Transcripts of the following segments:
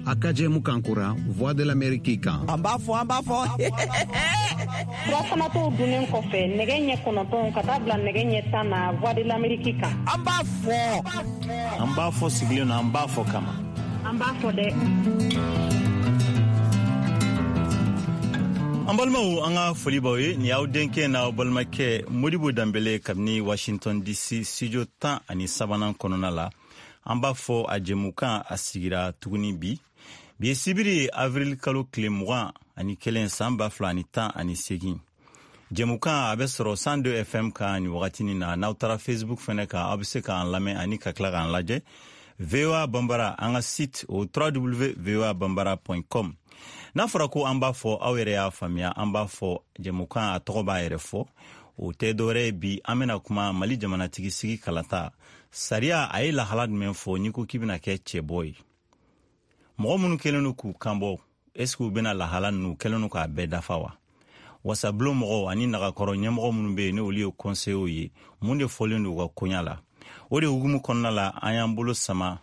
A ka jɛmukan kura Voix de l'Amérique kan. An b'a fɔ, an b'a fɔ. Furafanatɔw dunnen kɔfɛ nɛgɛ ɲɛ 9 ka taa bila nɛgɛ ɲɛ 10 na Voix de l'Amérique kan. An b'a fɔ. An b'a fɔ sigilen na, an b'a fɔ kama. An b'a fɔ dɛ. An balimaw, an ka foli b'aw ye. Nin y'aw denkɛ n'aw balimakɛ Modibo Danbele kabini Washington DC studio 13nan kɔnɔna la. An b'a fɔ a jɛmukan a sigira tuguni bi. Bi ye sibiri ye, avril kalo tile 21 san 2018. Jɛmukan a bɛ sɔrɔ 102 FM kan nin wagatinin na. N'aw taara Facebook fɛnɛ kan, aw bɛ se k'an lamɛn ani ka tila k'an lajɛ. VOA Bambara, an ka site o www.voabambara.com. N'a fɔra ko an b'a fɔ, aw yɛrɛ y'a faamuya, an b'a fɔ jɛmukan a tɔgɔ b'a yɛrɛ fɔ. O tɛ dɔwɛrɛ ye, bi an bɛna kuma Mali jamanatigi sigi kalata sariya a ye lahala jumɛn fɔ n'i ko k'i bɛna kɛ cɛbɔ ye. Mɔgɔ minnu kɛlen don k'u kanbɔ, est ce que u bɛna lahala ninnu kɛlen don k'a bɛɛ dafa wa? Wasabulon mɔgɔw ani nagakɔrɔ ɲɛmɔgɔ minnu bɛ yen, ni olu ye conseillers ye, mun de fɔlen don u ka koɲa la? O de hukumu kɔnɔna la, an y'an bolo sama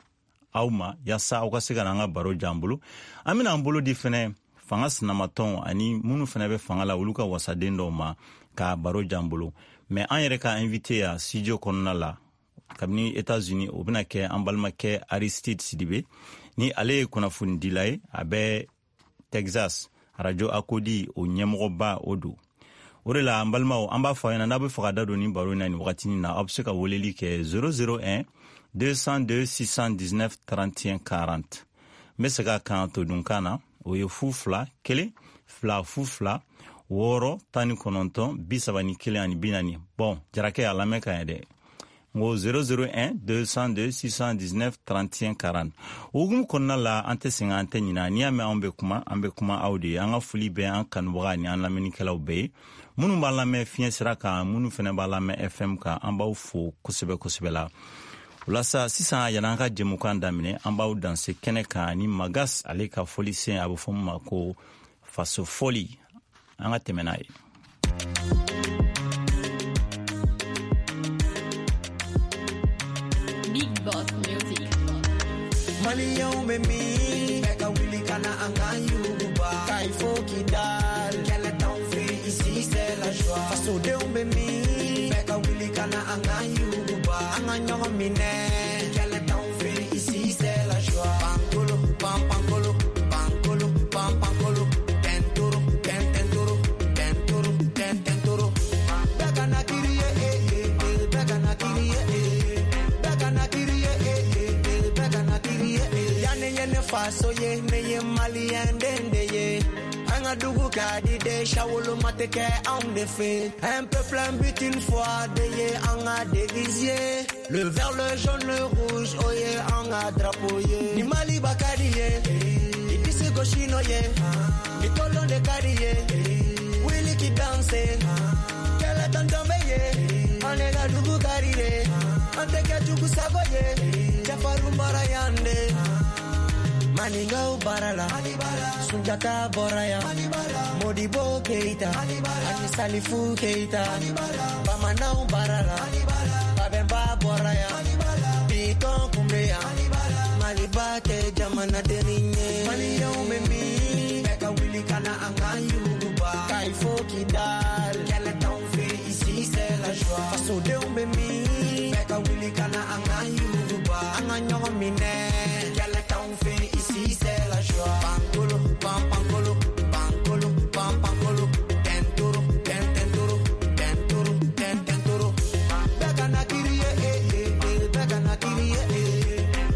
aw ma yaasa aw ka se ka n'an ka baro jan bolo. An bɛna an bolo di fɛnɛ fanga sinamatɔnw ani minnu fɛnɛ bɛ fanga la, olu ka wasaden dɔw ma ka baro jan bolo. Mais an yɛrɛ ka invité ya studio kɔnɔna la kabini États-Unis, o bɛna kɛ an balimakɛ Aristide Sidibe, ni ale ye kunnafonidila ye, a bɛ Texas, radio Akodi o ɲɛmɔgɔba o don. O de la, an balimaw, an b'a fɔ aw ɲɛna, n'a bɛ fɛ ka da don nin baro in na nin wagatinin na, aw bɛ se ka weleli kɛ 001 202 619 31 40. N bɛ segin a kan todunkan na, o ye 0 2 1 2 0 2 6 19 31 ani 40. Bɔn, jarakɛ a lamɛn ka ɲɛ dɛ. N ko 001 202 619 31 40. O hukumu kɔnɔna la, an tɛ sɛgɛn, an tɛ ɲina. N'i y'a mɛn anw bɛ kuma, an bɛ kuma aw de ye. An ka foli bɛ an kanubaga ni an lamɛnnikɛlaw bɛɛ ye, minnu b'an lamɛn fiɲɛ sira kan, minnu fana b'an lamɛn FM kan. An b'aw fo kosɛbɛ kosɛbɛ la. O la sa, sisan, yan'an ka jɛmukan daminɛ, an b'aw danse kɛnɛ kan ni Magas ale ka fɔlisen, a bɛ fɔ min ma ko faso fɔli. An ka tɛmɛ n'a ye. Big Boss Music. Maliyɛnw bɛ min? Bɛɛ ka wuli ka na an ka yuguba. K'ayi fo Kidal. Kɛlɛ t'anw fɛ, ici c'est la joie. Fasodenw bɛ min? Bɛɛ ka wuli ka na an ka yuguba. An ka ɲɔgɔn minɛ. Kɛlɛ t'anw fɛ, ici c'est la joie. Pankolo, pan pankolo, pankolo, pan pankolo. Tɛntoro, tɛntɛntoro, tɛntoro, tɛntɛntoro. Bɛɛ ka na kiri ye, eh, eh, eh. Bɛɛ ka na kiri ye, eh. Bɛɛ ka na kiri ye, eh, eh, eh. Bɛɛ ka na kiri ye, eh. Yan ne ye ne faso ye, ne ye maliyɛn den de ye. An ka dugu ka di de, sawoloma tɛ kɛ anw de fɛ. Un peuple, un but, une foi de ye an ka devise ye. Le vert, le jaune, le rouge, o ye an ka drapeau ye. Ni Maliba ka di ye, i disi gosi n'o ye. Ni tolon de ka di ye, wuli k'i danse. Kɛlɛ tɔntɔn bɛ ye, an de ka dugu ka di de. An tɛ kɛ jugu sago ye, cɛfarinw bɔra yan de. Maninkaw baara la, Sunjata bɔra yan, Modibo Keita ani Salifu Keita. Bamananw baara la, Babɛnba bɔra yan, Bitɔn kun bɛ yan. Maliba tɛ jamanadenni ye. Maliyɛnw bɛ min? Bɛɛ ka wuli ka na an ka yuguba. K'ayi fo Kidal. Kɛlɛ t'anw fɛ, ici c'est la joie. Fasodenw bɛ min? Bɛɛ ka wuli ka na an ka yuguba. An ka ɲɔgɔn minɛ. Kɛlɛ t'anw fɛ, ici c'est la joie. Pankolo, pan pankolo, pankolo, pan pankolo. Tɛntoro, tɛntɛntoro, tɛntoro, tɛntɛntoro. Bɛɛ ka na kiri ye, eh, eh, eh. Bɛɛ ka na kiri ye, eh.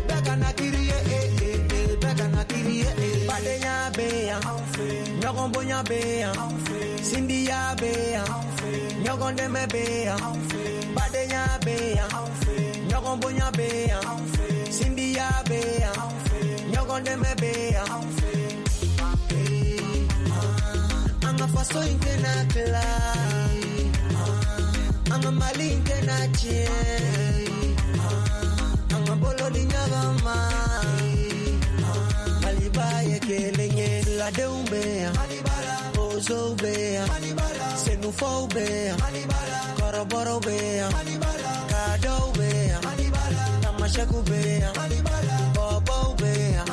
Bɛɛ ka na kiri ye, eh, eh, eh. Bɛɛ ka na kiri ye, eh. Badenya bɛ yan, ɲɔgɔn bonya bɛ yan, sindiya bɛ yan, ɲɔgɔn dɛmɛ bɛ yan. Badenya bɛ yan, ɲɔgɔn bonya bɛ yan, sindiya bɛ yan, ɲɔgɔn dɛmɛ bɛ yan. An ka faso in tɛna tila, an ka Mali in tɛna tiɲɛ, an ka bolo di ɲɔgɔn ma. Maliba ye kelen ye, filadenw bɛ yan, bozow bɛ yan, senufɔw bɛ yan, kɔrɔbɔrɔw bɛ yan, kadɔw bɛ yan, tamasɛkiw bɛ yan, bɔbɔw bɛ yan.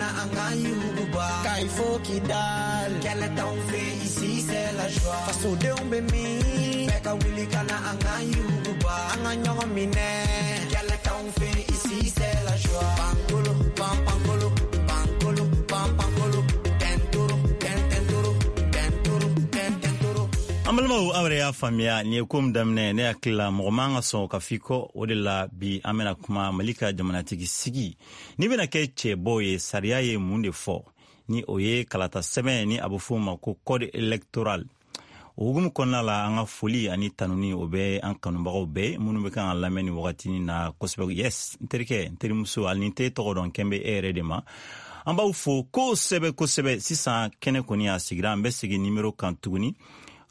na an k'an yuguba. K'ayi fo Kidal, kɛlɛ t'anw fɛ ici c'est la joie. Fasodenw bɛ min? Bɛɛ ka wuli ka na an k'an yuguba. An ka ɲɔgɔn minɛ, kɛlɛ t'anw fɛ ici c'est la joie. Pankolo, pan pankolo, pankolo, pan pankolo, tɛntoro, tɛntɛntoro, tɛntoro, tɛntɛntoro. An balimaw, aw yɛrɛ y'a faamuya, nin ye ko min daminɛ, ne hakili la mɔgɔ man ka sɔn ka f'i kɔ. O de la bi an bɛna kuma Mali ka jamanatigi sigi, n'i bɛna kɛ cɛbɔ ye, sariya ye mun de fɔ, ni o ye kalata sɛbɛn, ni a bɛ f'o ma ko code électoral. O hukumu kɔnɔna la, an ka foli ani tanuni, o bɛ an kanubagaw bɛɛ minnu bɛ kan ka lamɛn nin wagatinin na kosɛbɛ. Yes, n terikɛ, n terimuso, hali ni n t'e tɔgɔ dɔn, kɛn bɛ e yɛrɛ de ma. An b'aw fo kosɛbɛ kosɛbɛ. Sisan kɛnɛ kɔni a sigira, an bɛ segin nimero kan tuguni.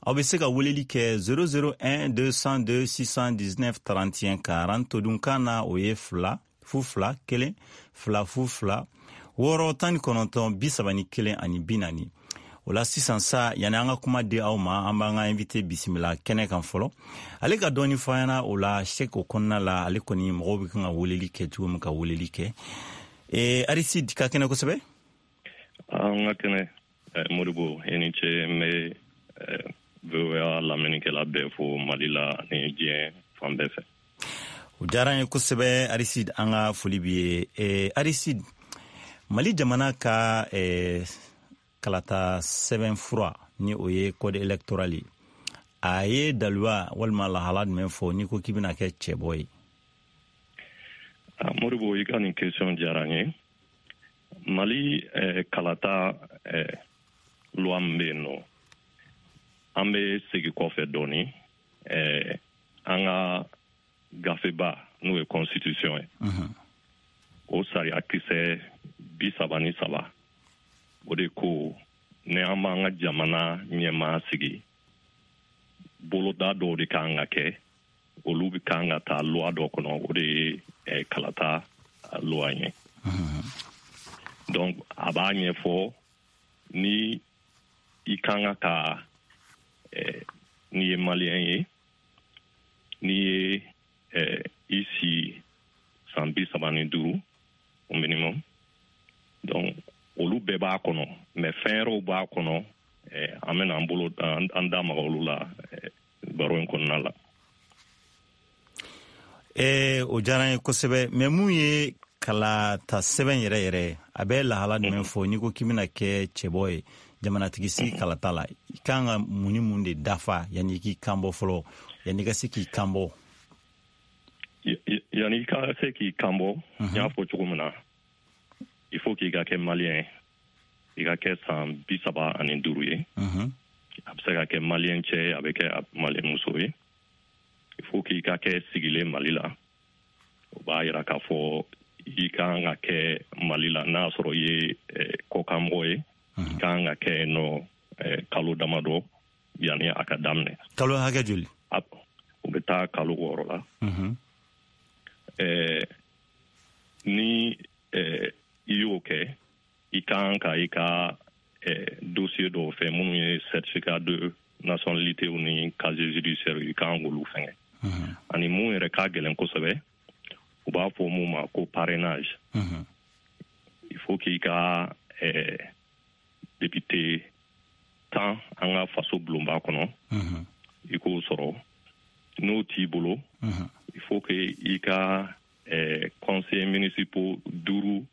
Aw bɛ se ka weleli kɛ 001 202 619 31 40. Todunkan na, o ye 2 0 2 1 0 0 2 6 19 31 ani 40. O la sisan sa, yanni an ka kuma di aw ma, an b'an ka invité bisimila kɛnɛ kan fɔlɔ, ale ka dɔɔni fɔ an ɲɛna. O la sek o kɔnɔna la, ale kɔni mɔgɔw bɛ kan ka weleli kɛ cogo min, ka weleli kɛ. Aristide, ka kɛnɛ kosɛbɛ. An ka kɛnɛ, Modibo, i ni ce. N bɛ VOA lamɛnnikɛla bɛɛ fo Mali la ani diɲɛ fan bɛɛ fɛ. O diyara an ye kosɛbɛ, Aristide, an ka foli b'i ye. Aristide, Mali jamana ka kalata sɛbɛn fura, ni o ye code électoral ye, a ye daluya walima lahala jumɛn fɔ n'i ko k'i bɛna kɛ cɛbɔ ye? Modibo, i ka nin question diyara n ye. Mali kalata loi min bɛ yen nɔ, an bɛ segin kɔfɛ dɔɔni, an ka gafeba, n'o ye constitution ye, o sariya kisɛ 33, o de ko ni an b'an ka jamana ɲɛmaa sigi, boloda dɔw de kan ka kɛ, olu bɛ kan ka taa loi dɔ kɔnɔ, o de ye kalata loi ye. Donc a b'a ɲɛfɔ ni i kan ka n'i ye Malien ye, n'i ye i si san 35 au minimum. Donc olu bɛɛ b'a kɔnɔ, mais fɛn wɛrɛw b'a kɔnɔ, an bɛna an bolo an da maga olu la baro in kɔnɔna la. O diyara n ye kosɛbɛ. Mais mun ye kalata sɛbɛn yɛrɛ yɛrɛ, a bɛ lahala jumɛn fɔ n'i ko k'i bɛna kɛ cɛbɔ ye jamanatigi sigi kalata la? I kan ka mun ni mun de dafa yanni i k'i kan bɔ fɔlɔ, yanni i ka se k'i kan bɔ? Yanni i ka se k'i kan bɔ, n y'a fɔ cogo min na, il faut k'i ka kɛ Malien, i ka kɛ san 35 ye. A bɛ se ka kɛ Malien cɛ ye, a bɛ kɛ Malien muso ye. Il faut k'i ka kɛ sigilen Mali la. O b'a yira k'a fɔ i kan ka kɛ Mali la, n'a y'a sɔrɔ i ye kɔkanmɔgɔ ye, i kan ka kɛ yen nɔ kalo damadɔ yanni a ka daminɛ. Kalo hakɛ joli? O bɛ taa kalo 6 la. Ni i y'o kɛ, i kan ka i ka dossier dɔw fɛ, minnu ye certificat de nationalité ni casier judiciaire, i kan k'olu fɛngɛ. Ani mun yɛrɛ ka gɛlɛn kosɛbɛ, u b'a fɔ mun ma ko parrainage. Il faut k'i ka député 10 an ka faso bulonba kɔnɔ, i k'o sɔrɔ. N'o t'i bolo, il faut que i ka conseillers municipaux duuru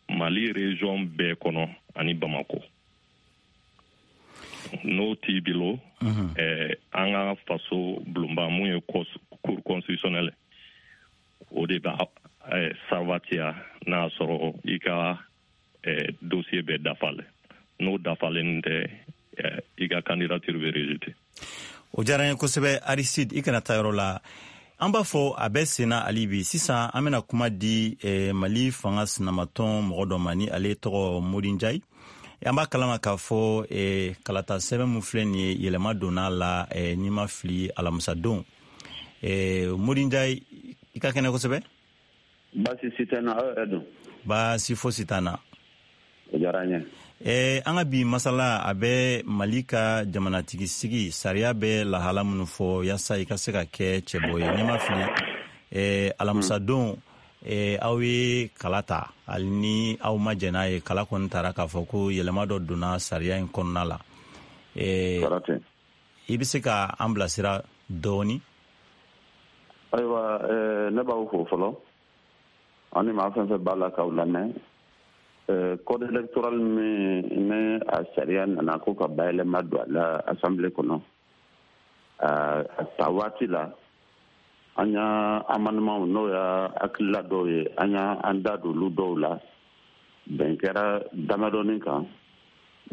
Mali région bɛɛ kɔnɔ ani Bamako. N'o t'i bolo, an ka faso bulonba, mun ye cour constitutionnelle, o de b'a sabatiya n'a sɔrɔ i ka dossier bɛɛ dafalen. N'o dafalen tɛ, i ka candidature bɛ rejeter. O diyara n ye kosɛbɛ, Aristide. I kana taa yɔrɔ la, an b'a fɔ a bɛ senna hali bi. Sisan an bɛna kuma di Mali fanga sinamatɔn mɔgɔ dɔ ma, ni ale tɔgɔ Modi Njayi. An b'a kalama k'a fɔ kalata sɛbɛn min filɛ nin ye, yɛlɛma donna la, n'i ma fili, alamisadon. Modi Njayi, i ka kɛnɛ kosɛbɛ. Baasi si tɛ n na, aw yɛrɛ dun? Baasi fosi t'an na. O diyara n ye. An ka bi masala, a bɛ Mali ka jamanatigi sigi sariya bɛ lahala minnu fɔ yaasa i ka se ka kɛ cɛbɔ ye. N'i ma fili, alamisadon Aw ye kala ta, hali ni aw ma jɛn n'a ye, kala kɔni tara k'a fɔ ko yɛlɛma dɔ donna sariya in kɔnɔna la. I bɛ se ka an bilasira dɔɔni? Ayiwa, ne b'aw fo fɔlɔ, ani maa fɛn fɛn b'a la k'aw lamɛn. Code électoral min ni a sariya nana ko ka bayɛlɛma don a la assemblée kɔnɔ, a ta waati la, an y'a amendement, n'o y'a hakilila dɔw ye, an y'an da don olu dɔw la. Bɛn kɛra damadɔni kan,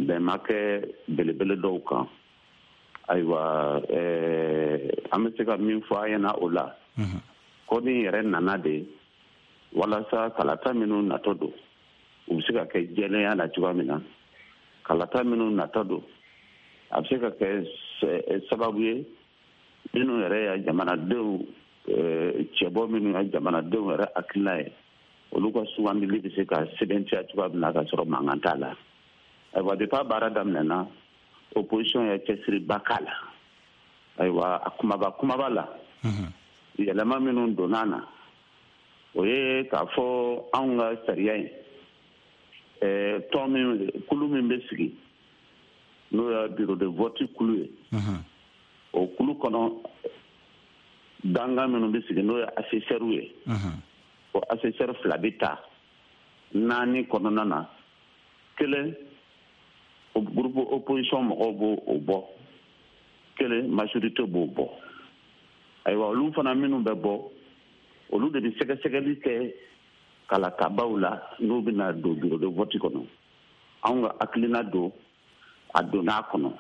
bɛn ma kɛ belebele dɔw kan. Ayiwa, an bɛ se ka min fɔ a ɲɛna o la, code in yɛrɛ nana de walasa kalata minnu natɔ don, u bɛ se ka kɛ jɛlenya la cogoya min na. Kalata minnu natɔ don, a bɛ se ka kɛ sababu ye minnu yɛrɛ ya jamanadenw cɛbɔ, minnu ya jamanadenw yɛrɛ hakilina ye, olu ka sugandili bɛ se ka sɛbɛntiya cogoya min na ka sɔrɔ mankan t'a la. Ayiwa, depuis a baara daminɛna, opposition ye cɛsiriba k'a la. Ayiwa, a kumaba kumaba la, yɛlɛma minnu donna na, o ye k'a fɔ anw ka sariya in, tɔn min, kulu min bɛ sigi, n'o ye bureau de vote kulu ye, o kulu kɔnɔ, dankan minnu bɛ sigi, n'o ye assesseur ye, o assesseur fila bɛ ta naani kɔnɔna na. Kelen, groupe opposition mɔgɔw b'o o bɔ, kelen, majorité b'o bɔ. Ayiwa, olu fana minnu bɛ bɔ, olu de bɛ sɛgɛsɛgɛli kɛ kalatabaw la n'u bɛna don bureau de vote kɔnɔ. Anw ka hakilina don, a donna a kɔnɔ,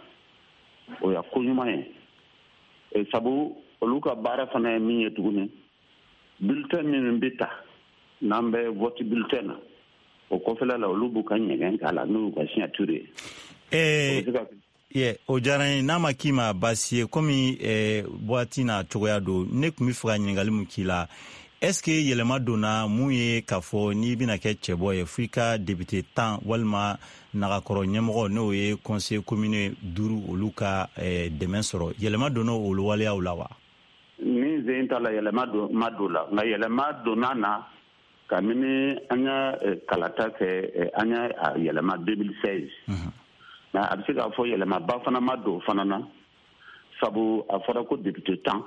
o ya ko ɲuman ye, sabu olu ka baara fana ye min ye tuguni, bulletin minnu bɛ ta n'an bɛ vote bulletin na, o kɔfɛla la, olu b'u ka ɲɛgɛn k'a la n'u y'u ka signature ye. Ye, o diyara n ye. N'a ma k'i ma baasi ye, komi waati n'a cogoya don, ne tun bɛ fɛ ka ɲininkali mun k'i la: est ce que yɛlɛma donna mun ye k'a fɔ n'i bɛna kɛ cɛbɔ ye, fo i ka député 10 walima nagakɔrɔ ɲɛmɔgɔ, n'o ye conseil commune duuru, olu ka dɛmɛ sɔrɔ? Yɛlɛma donna olu waleyaw la wa? Ni zen ta la, yɛlɛma ma don la, nka yɛlɛma donna na kabini an y'a kalata kɛ, an y'a yɛlɛma 2016. Nka a bɛ se k'a fɔ yɛlɛmaba fana ma don fana na, sabu a fɔra ko député 10,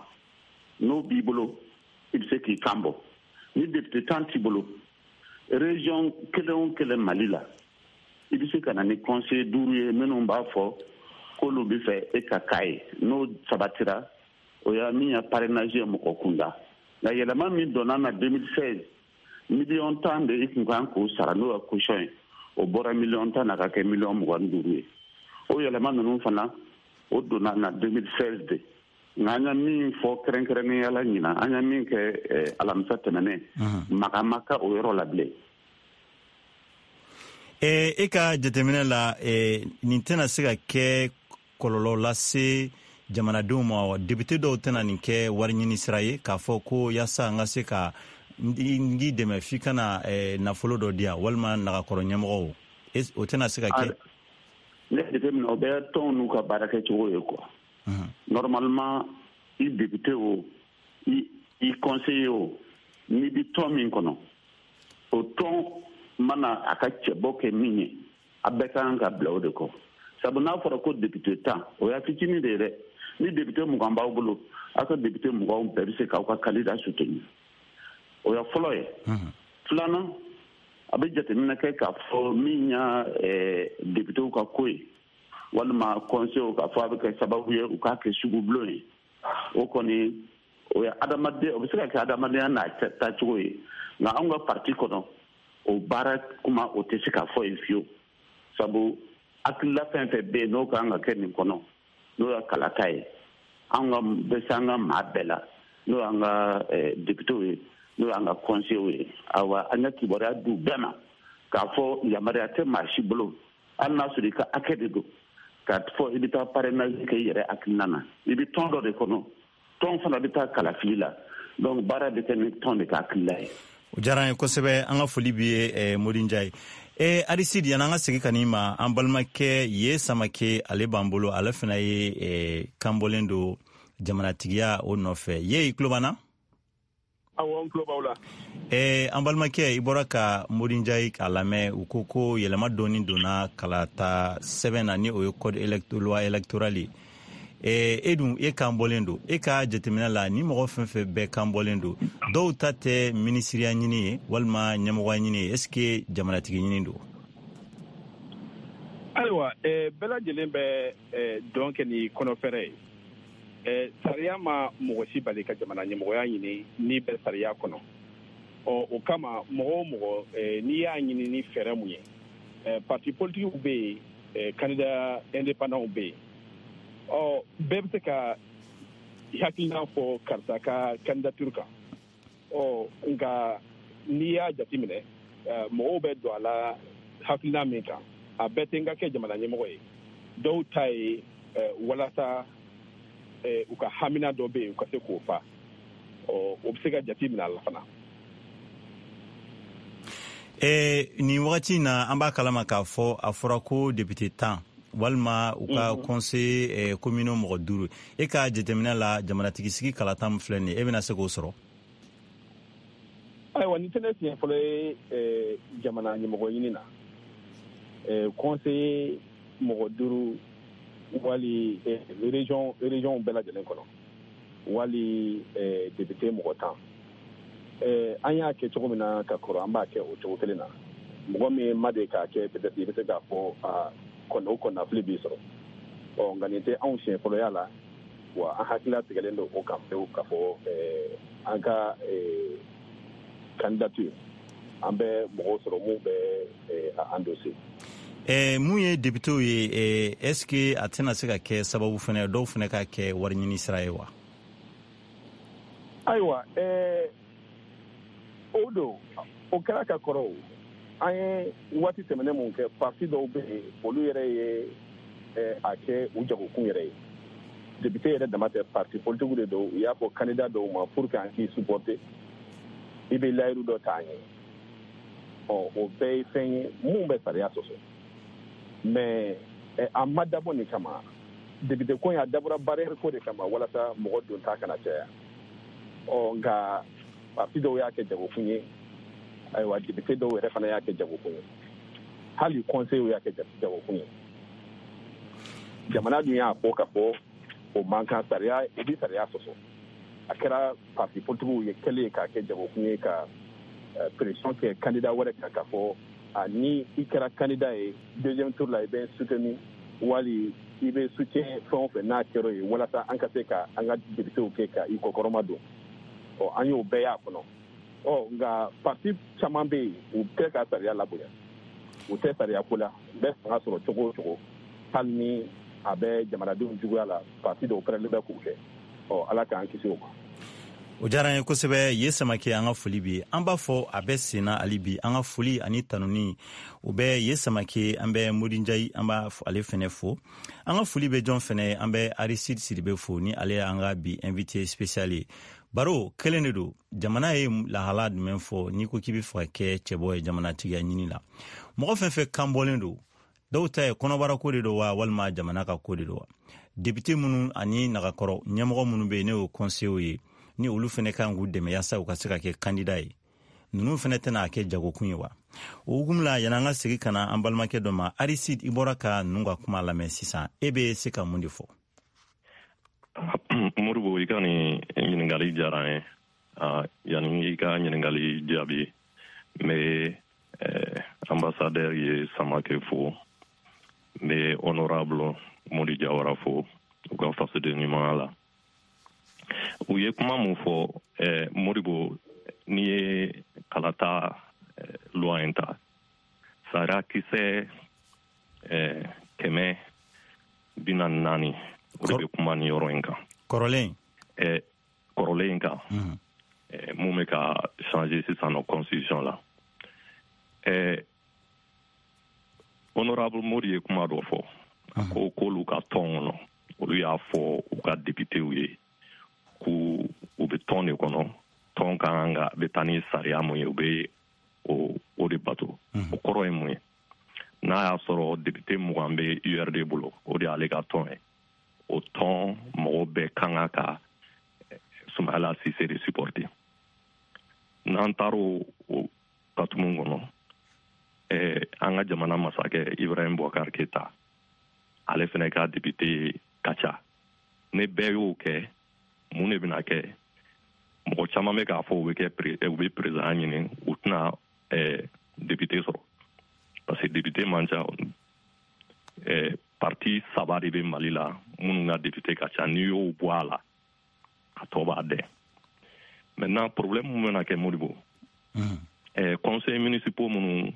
n'o b'i bolo, i bɛ se k'i kan bɔ. Ni député 10 t'i bolo, région kelen o kelen Mali la, i bɛ se ka na ni conseiller duuru ye minnu b'a fɔ k'olu bɛ fɛ e ka k'a ye. N'o sabatira, o y'a min ye parrainage ye mɔgɔ kunda. Nka yɛlɛma min donna na 2016, miliyɔn 10 de i kun kan k'o sara, n'o ye caution ye, o bɔra miliyɔn 10 na ka kɛ miliyɔn 25 ye. O yɛlɛma ninnu fana, o donna na 2016 de. Nka an ye min fɔ kɛrɛnkɛrɛnnenya la ɲinan, an ye min kɛ alamisa tɛmɛnen, maga ma kɛ o yɔrɔ la bilen. E ka jateminɛ la, nin tɛna se ka kɛ kɔlɔlɔ lase jamanadenw ma wa? Député dɔw tɛna nin kɛ wari ɲini sira ye k'a fɔ ko yaasa n ka se ka n k'i dɛmɛ, f'i ka na nafolo dɔ di yan, walima nagakɔrɔ ɲɛmɔgɔw? O tɛna se ka kɛ? Ne jateminɛ, o bɛ tɔnw n'u ka baara kɛcogo ye quoi. Normalement, i député o, i conseiller o, n'i bɛ tɔn min kɔnɔ, o tɔn mana a ka cɛbɔ kɛ min ye, a bɛɛ ka kan ka bila o de kɔ. Sabu n'a fɔra ko député 10, o y'a fitinin de ye dɛ. Ni député 20 b'aw bolo, aw ka député 20 bɛɛ bɛ se k'aw ka candidat soutenir. O ya fɔlɔ ye. Filanan, a bɛ jateminɛ kɛ k'a fɔ min y'a députéw ka ko ye walima conseil, k'a fɔ a bɛ kɛ sababu ye u k'a kɛ sugubulon ye, o kɔni, o ye adamaden, o bɛ se ka kɛ adamadenya n'a taacogo ye. Nka anw ka parti kɔnɔ, o baara kuma, o tɛ se ka fɔ yen fiyewu, sabu hakilila fɛn fɛn bɛ yen n'o kan ka kɛ nin kɔnɔ, n'o ye kalata ye, an ka bɛ se an ka maa bɛɛ la, n'o y'an ka députéw ye, n'o y'an ka conseillers ye. Awa, an ka kibaruya d'u bɛɛ ma k'a fɔ yamaruya tɛ maa si bolo, hali n'a sɔrɔ i ka hakɛ de don, k'a fɔ i bɛ taa parrainage kɛ i yɛrɛ hakilina na. I bɛ tɔn dɔ de kɔnɔ, tɔn fana bɛ taa kalafili la, donc baara bɛ kɛ ni tɔn de ka hakilila ye. O diyara an ye kosɛbɛ. An ka foli b'i ye, Modi Njaye. Aristide, yan'an ka segin ka n'i ma, an balimakɛ ye Samake, ale b'an bolo, ale fana ye kanbɔlen don jamanatigiya o nɔfɛ ye. I tulo b'an na? Awɔ, n tulo b'aw la. An balimakɛ, i bɔra ka Modi Njayi k'a lamɛn. U ko ko yɛlɛma dɔɔni donna kalata sɛbɛn na, ni o ye code loi électorale ye. E dun, e kan bɔlen don. E ka jateminɛ la, ni mɔgɔ fɛn fɛn bɛɛ kan bɔlen don, dɔw ta tɛ minisiriya ɲini ye walima ɲɛmɔgɔya ɲini ye, est ce que jamanatigi ɲini don? Ayiwa, bɛɛ lajɛlen bɛ dɔn kɛ ni kɔnɔfɛrɛ ye. Sariya ma mɔgɔ si bali ka jamana ɲɛmɔgɔya ɲini n'i bɛ sariya kɔnɔ. Ɔ, o kama, mɔgɔ o mɔgɔ, n'i y'a ɲini ni fɛɛrɛ mun ye, parti politikiw bɛ yen, candidat indépendant bɛ yen. Ɔ, bɛɛ bɛ se ka hakilina fɔ karisa ka candidature kan. Ɔ, nka n'i y'a jateminɛ, mɔgɔw bɛ don a la hakilina min kan, a bɛɛ tɛ n ka kɛ jamana ɲɛmɔgɔ ye. Dɔw ta ye walasa u ka hamina dɔ bɛ yen, u ka se k'o fa. Ɔ, o bɛ se ka jate minɛ a la fana. Nin wagati in na, an b'a kalama k'a fɔ a fɔra ko député 10 walima u ka conseil communaux mɔgɔ 5. E ka jateminɛ la, jamanatigi sigi kalata min filɛ nin ye, e bɛna se k'o sɔrɔ? Ayiwa, nin tɛ ne siɲɛ fɔlɔ ye jamana ɲɛmɔgɔ ɲini na. Conseiller mɔgɔ 5 wali région bɛɛ lajɛlen kɔnɔ, wali député mɔgɔ 10. An y'a kɛ cogo min na ka kɔrɔ, an b'a kɛ o cogo kelen na. Mɔgɔ min ma deli k'a kɛ, peut-être i bɛ se k'a fɔ a o kɔnɔnafili b'i sɔrɔ. Ɔ, nka nin tɛ anw siɲɛ fɔlɔya la wa. An hakilila tigɛlen don o kan pewu k'a fɔ an ka candidature, an bɛ mɔgɔw sɔrɔ mun bɛ a endosser. Mun ye députéw ye, est ce que a tɛna se ka kɛ sababu fana dɔw fana ka kɛ wari ɲini sira ye wa? Ayiwa, o don, o kɛra ka kɔrɔ. O an ye waati tɛmɛnen mun kɛ, parti dɔw bɛ yen, olu yɛrɛ ye a kɛ u jagokun yɛrɛ ye. Député yɛrɛ dama tɛ, parti politique de don. U y'a fɔ candidat dɔw ma, pour que an k'i supporter, i bɛ layiru dɔ ta an ye. Ɔ, o bɛɛ ye fɛn ye mun bɛ sariya sɔsɔ. Mais a ma dabɔ nin kama. Député ko in, a dabɔra barrière ko de kama, walasa mɔgɔ donta kana caya. Ɔ, nka parti dɔw y'a kɛ jagokun ye. Ayiwa, député dɔw yɛrɛ fana y'a kɛ jagokun ye, hali conseil y'a kɛ jagokun ye. Jamana dun y'a fɔ ka fɔ o man kan, sariya, i bɛ sariya sɔsɔ. A kɛra parti politikiw ye kɛlen k'a kɛ jagokun ye, ka pression kɛ candidat wɛrɛ kan k'a fɔ a ni i kɛra candidat ye deuxième tour la, i bɛ soutenir wali i bɛ soutien fɛn o fɛn n'a kɛra ye, walasa an ka se ka an ka députéw kɛ ka i kɔkɔrɔma don. Ɔ, an y'o bɛɛ y'a kɔnɔ. Ɔ, nka parti caman bɛ yen, u tɛ ka sariya labonya, u tɛ sariya ko la. U bɛ fanga sɔrɔ cogo o cogo, hali ni a bɛ jamanadenw juguya la, parti dɔw pɛrɛnlen bɛ k'o kɛ. Ɔ, Ala k'an kisi o ma. O diyara an ye kosɛbɛ. Ye Samake, an ka foli bi, an b'a fɔ a bɛ senna hali bi. An ka foli ani tanuni, o bɛ Ye Samake. An bɛ Modi Njayi, an b'a ale fɛnɛ fo. An ka foli bɛ jɔn fɛnɛ? An bɛ Aristide Sidibe fo, ni ale y'an ka bi invité spécial ye. Baro kelen de don: jamana ye lahala jumɛn fɔ n'i ko k'i bɛ fɛ ka kɛ cɛbɔ ye jamanatigiya ɲini la? Mɔgɔ fɛn fɛn kan bɔlen don, dɔw ta ye kɔnɔbara ko de don wa, walima jamana ka ko de don wa? Député minnu ani nagakɔrɔ ɲɛmɔgɔ minnu bɛ yen, ne y'o conseillers ye, ni olu fɛnɛ kan k'u dɛmɛ yaasa u ka se ka kɛ candidat ye, ninnu fɛnɛ tɛna kɛ jagokun ye wa? O hukumu la, yan'an ka segin ka na an balimakɛ dɔ ma, Aristide, i bɔra ka ninnu ka kuma lamɛn sisan, e bɛ se ka mun de fɔ? Modibo, i ka nin ɲininkali diyara n ye. Yanni i ka ɲininkali jaabi, n bɛ ambassadeur Ye Samake fo, n bɛ honorable Modi Jawara fo u ka fasoden ɲumanya la. U ye kuma mun fɔ, Modibo, n'i ye kalata loi in ta, sariya kisɛ 144, o de bɛ kuma nin yɔrɔ in kan. Kɔrɔlen. Kɔrɔlen in kan, mun bɛ ka changer sisan nɔ constitution la. Honorable Modi ye kuma dɔ fɔ. A ko k'olu ka tɔn kɔnɔ, olu y'a fɔ u ka députéw ye k'u u bɛ tɔn de kɔnɔ, tɔn ka kan ka bɛ taa ni sariya mun ye, u bɛ o de bato. O kɔrɔ ye mun ye? N'a y'a sɔrɔ député 20 bɛ URD bolo, o de y'ale ka tɔn ye, o tɔn mɔgɔw bɛɛ kan ka Sumayila Sise de supporter. N'an taara o katumu kɔnɔ, an ka jamana masakɛ Ibrahim Boubacar Keita, ale fɛnɛ ka député ka ca. Ne bɛɛ y'o kɛ, mun de bɛna kɛ? Mɔgɔ caman bɛ k'a fɔ u bɛ kɛ u bɛ président ɲini, u tɛna député sɔrɔ parce que député man ca. Parti 3 de bɛ Mali la minnu ka député ka ca. N'i y'o bɔ a la, a tɔ b'a dɛn. Maintenant, problème mun bɛna kɛ, Modibo, conseil municipaux minnu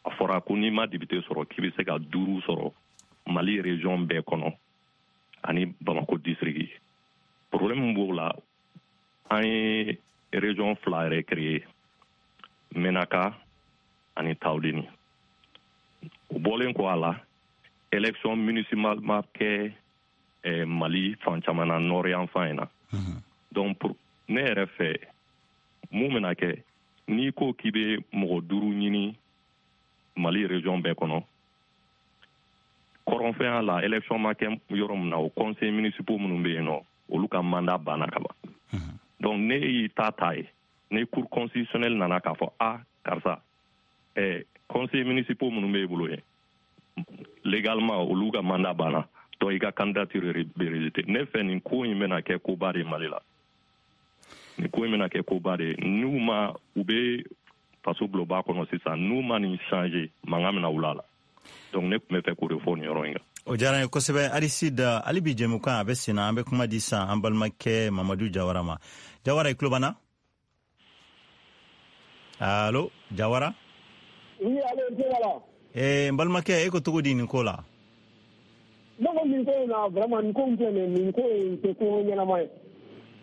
a fɔra ko n'i ma député sɔrɔ, k'i bɛ se ka 5 sɔrɔ Mali région bɛɛ kɔnɔ ani Bamako district. Problème min b'o la, an ye région 2 yɛrɛ créé, Menaka ani Tawudeni. O bɔlen kɔ a la, élection municipale ma kɛ Mali fan caman na, nord yan fan in na. Donc pour ne yɛrɛ fɛ, mun bɛna kɛ? N'i ko k'i bɛ mɔgɔ 5 ɲini Mali région bɛɛ kɔnɔ, kɔrɔnfɛnya la, élection ma kɛ yɔrɔ min na, o conseil municipaux minnu bɛ yen nɔ, olu ka mandat banna ka ban. Donc ne y'i ta ta ye, ni cour constitutionnelle nana k'a fɔ a karisa, conseil municipaux minnu bɛ e bolo yen, légalement olu ka mandat banna, donc i ka candidature bɛ rejeté. Ne fɛ, nin ko in bɛna kɛ koba de ye Mali la. Nin ko in bɛna kɛ koba de ye. N'u ma, u bɛ faso bulonba kɔnɔ sisan, n'u ma nin changer, mankan bɛna wuli a la. Donc ne tun bɛ fɛ k'o de fɔ nin yɔrɔ in kan. O diyara n ye kosɛbɛ, Aristide. Hali bi jɛmukan a bɛ sen na. An bɛ kuma di sisan an balimakɛ Mamadu Jawara ma. Jawara, i tulo b'an na? Allo, Jawara? Oui, allo, n tulo b'a la. N balimakɛ, e ko cogo di nin ko la? Ne ko nin ko in na, vraiment, nin ko in filɛ nin ye, nin ko in tɛ ko ɲɛnama ye.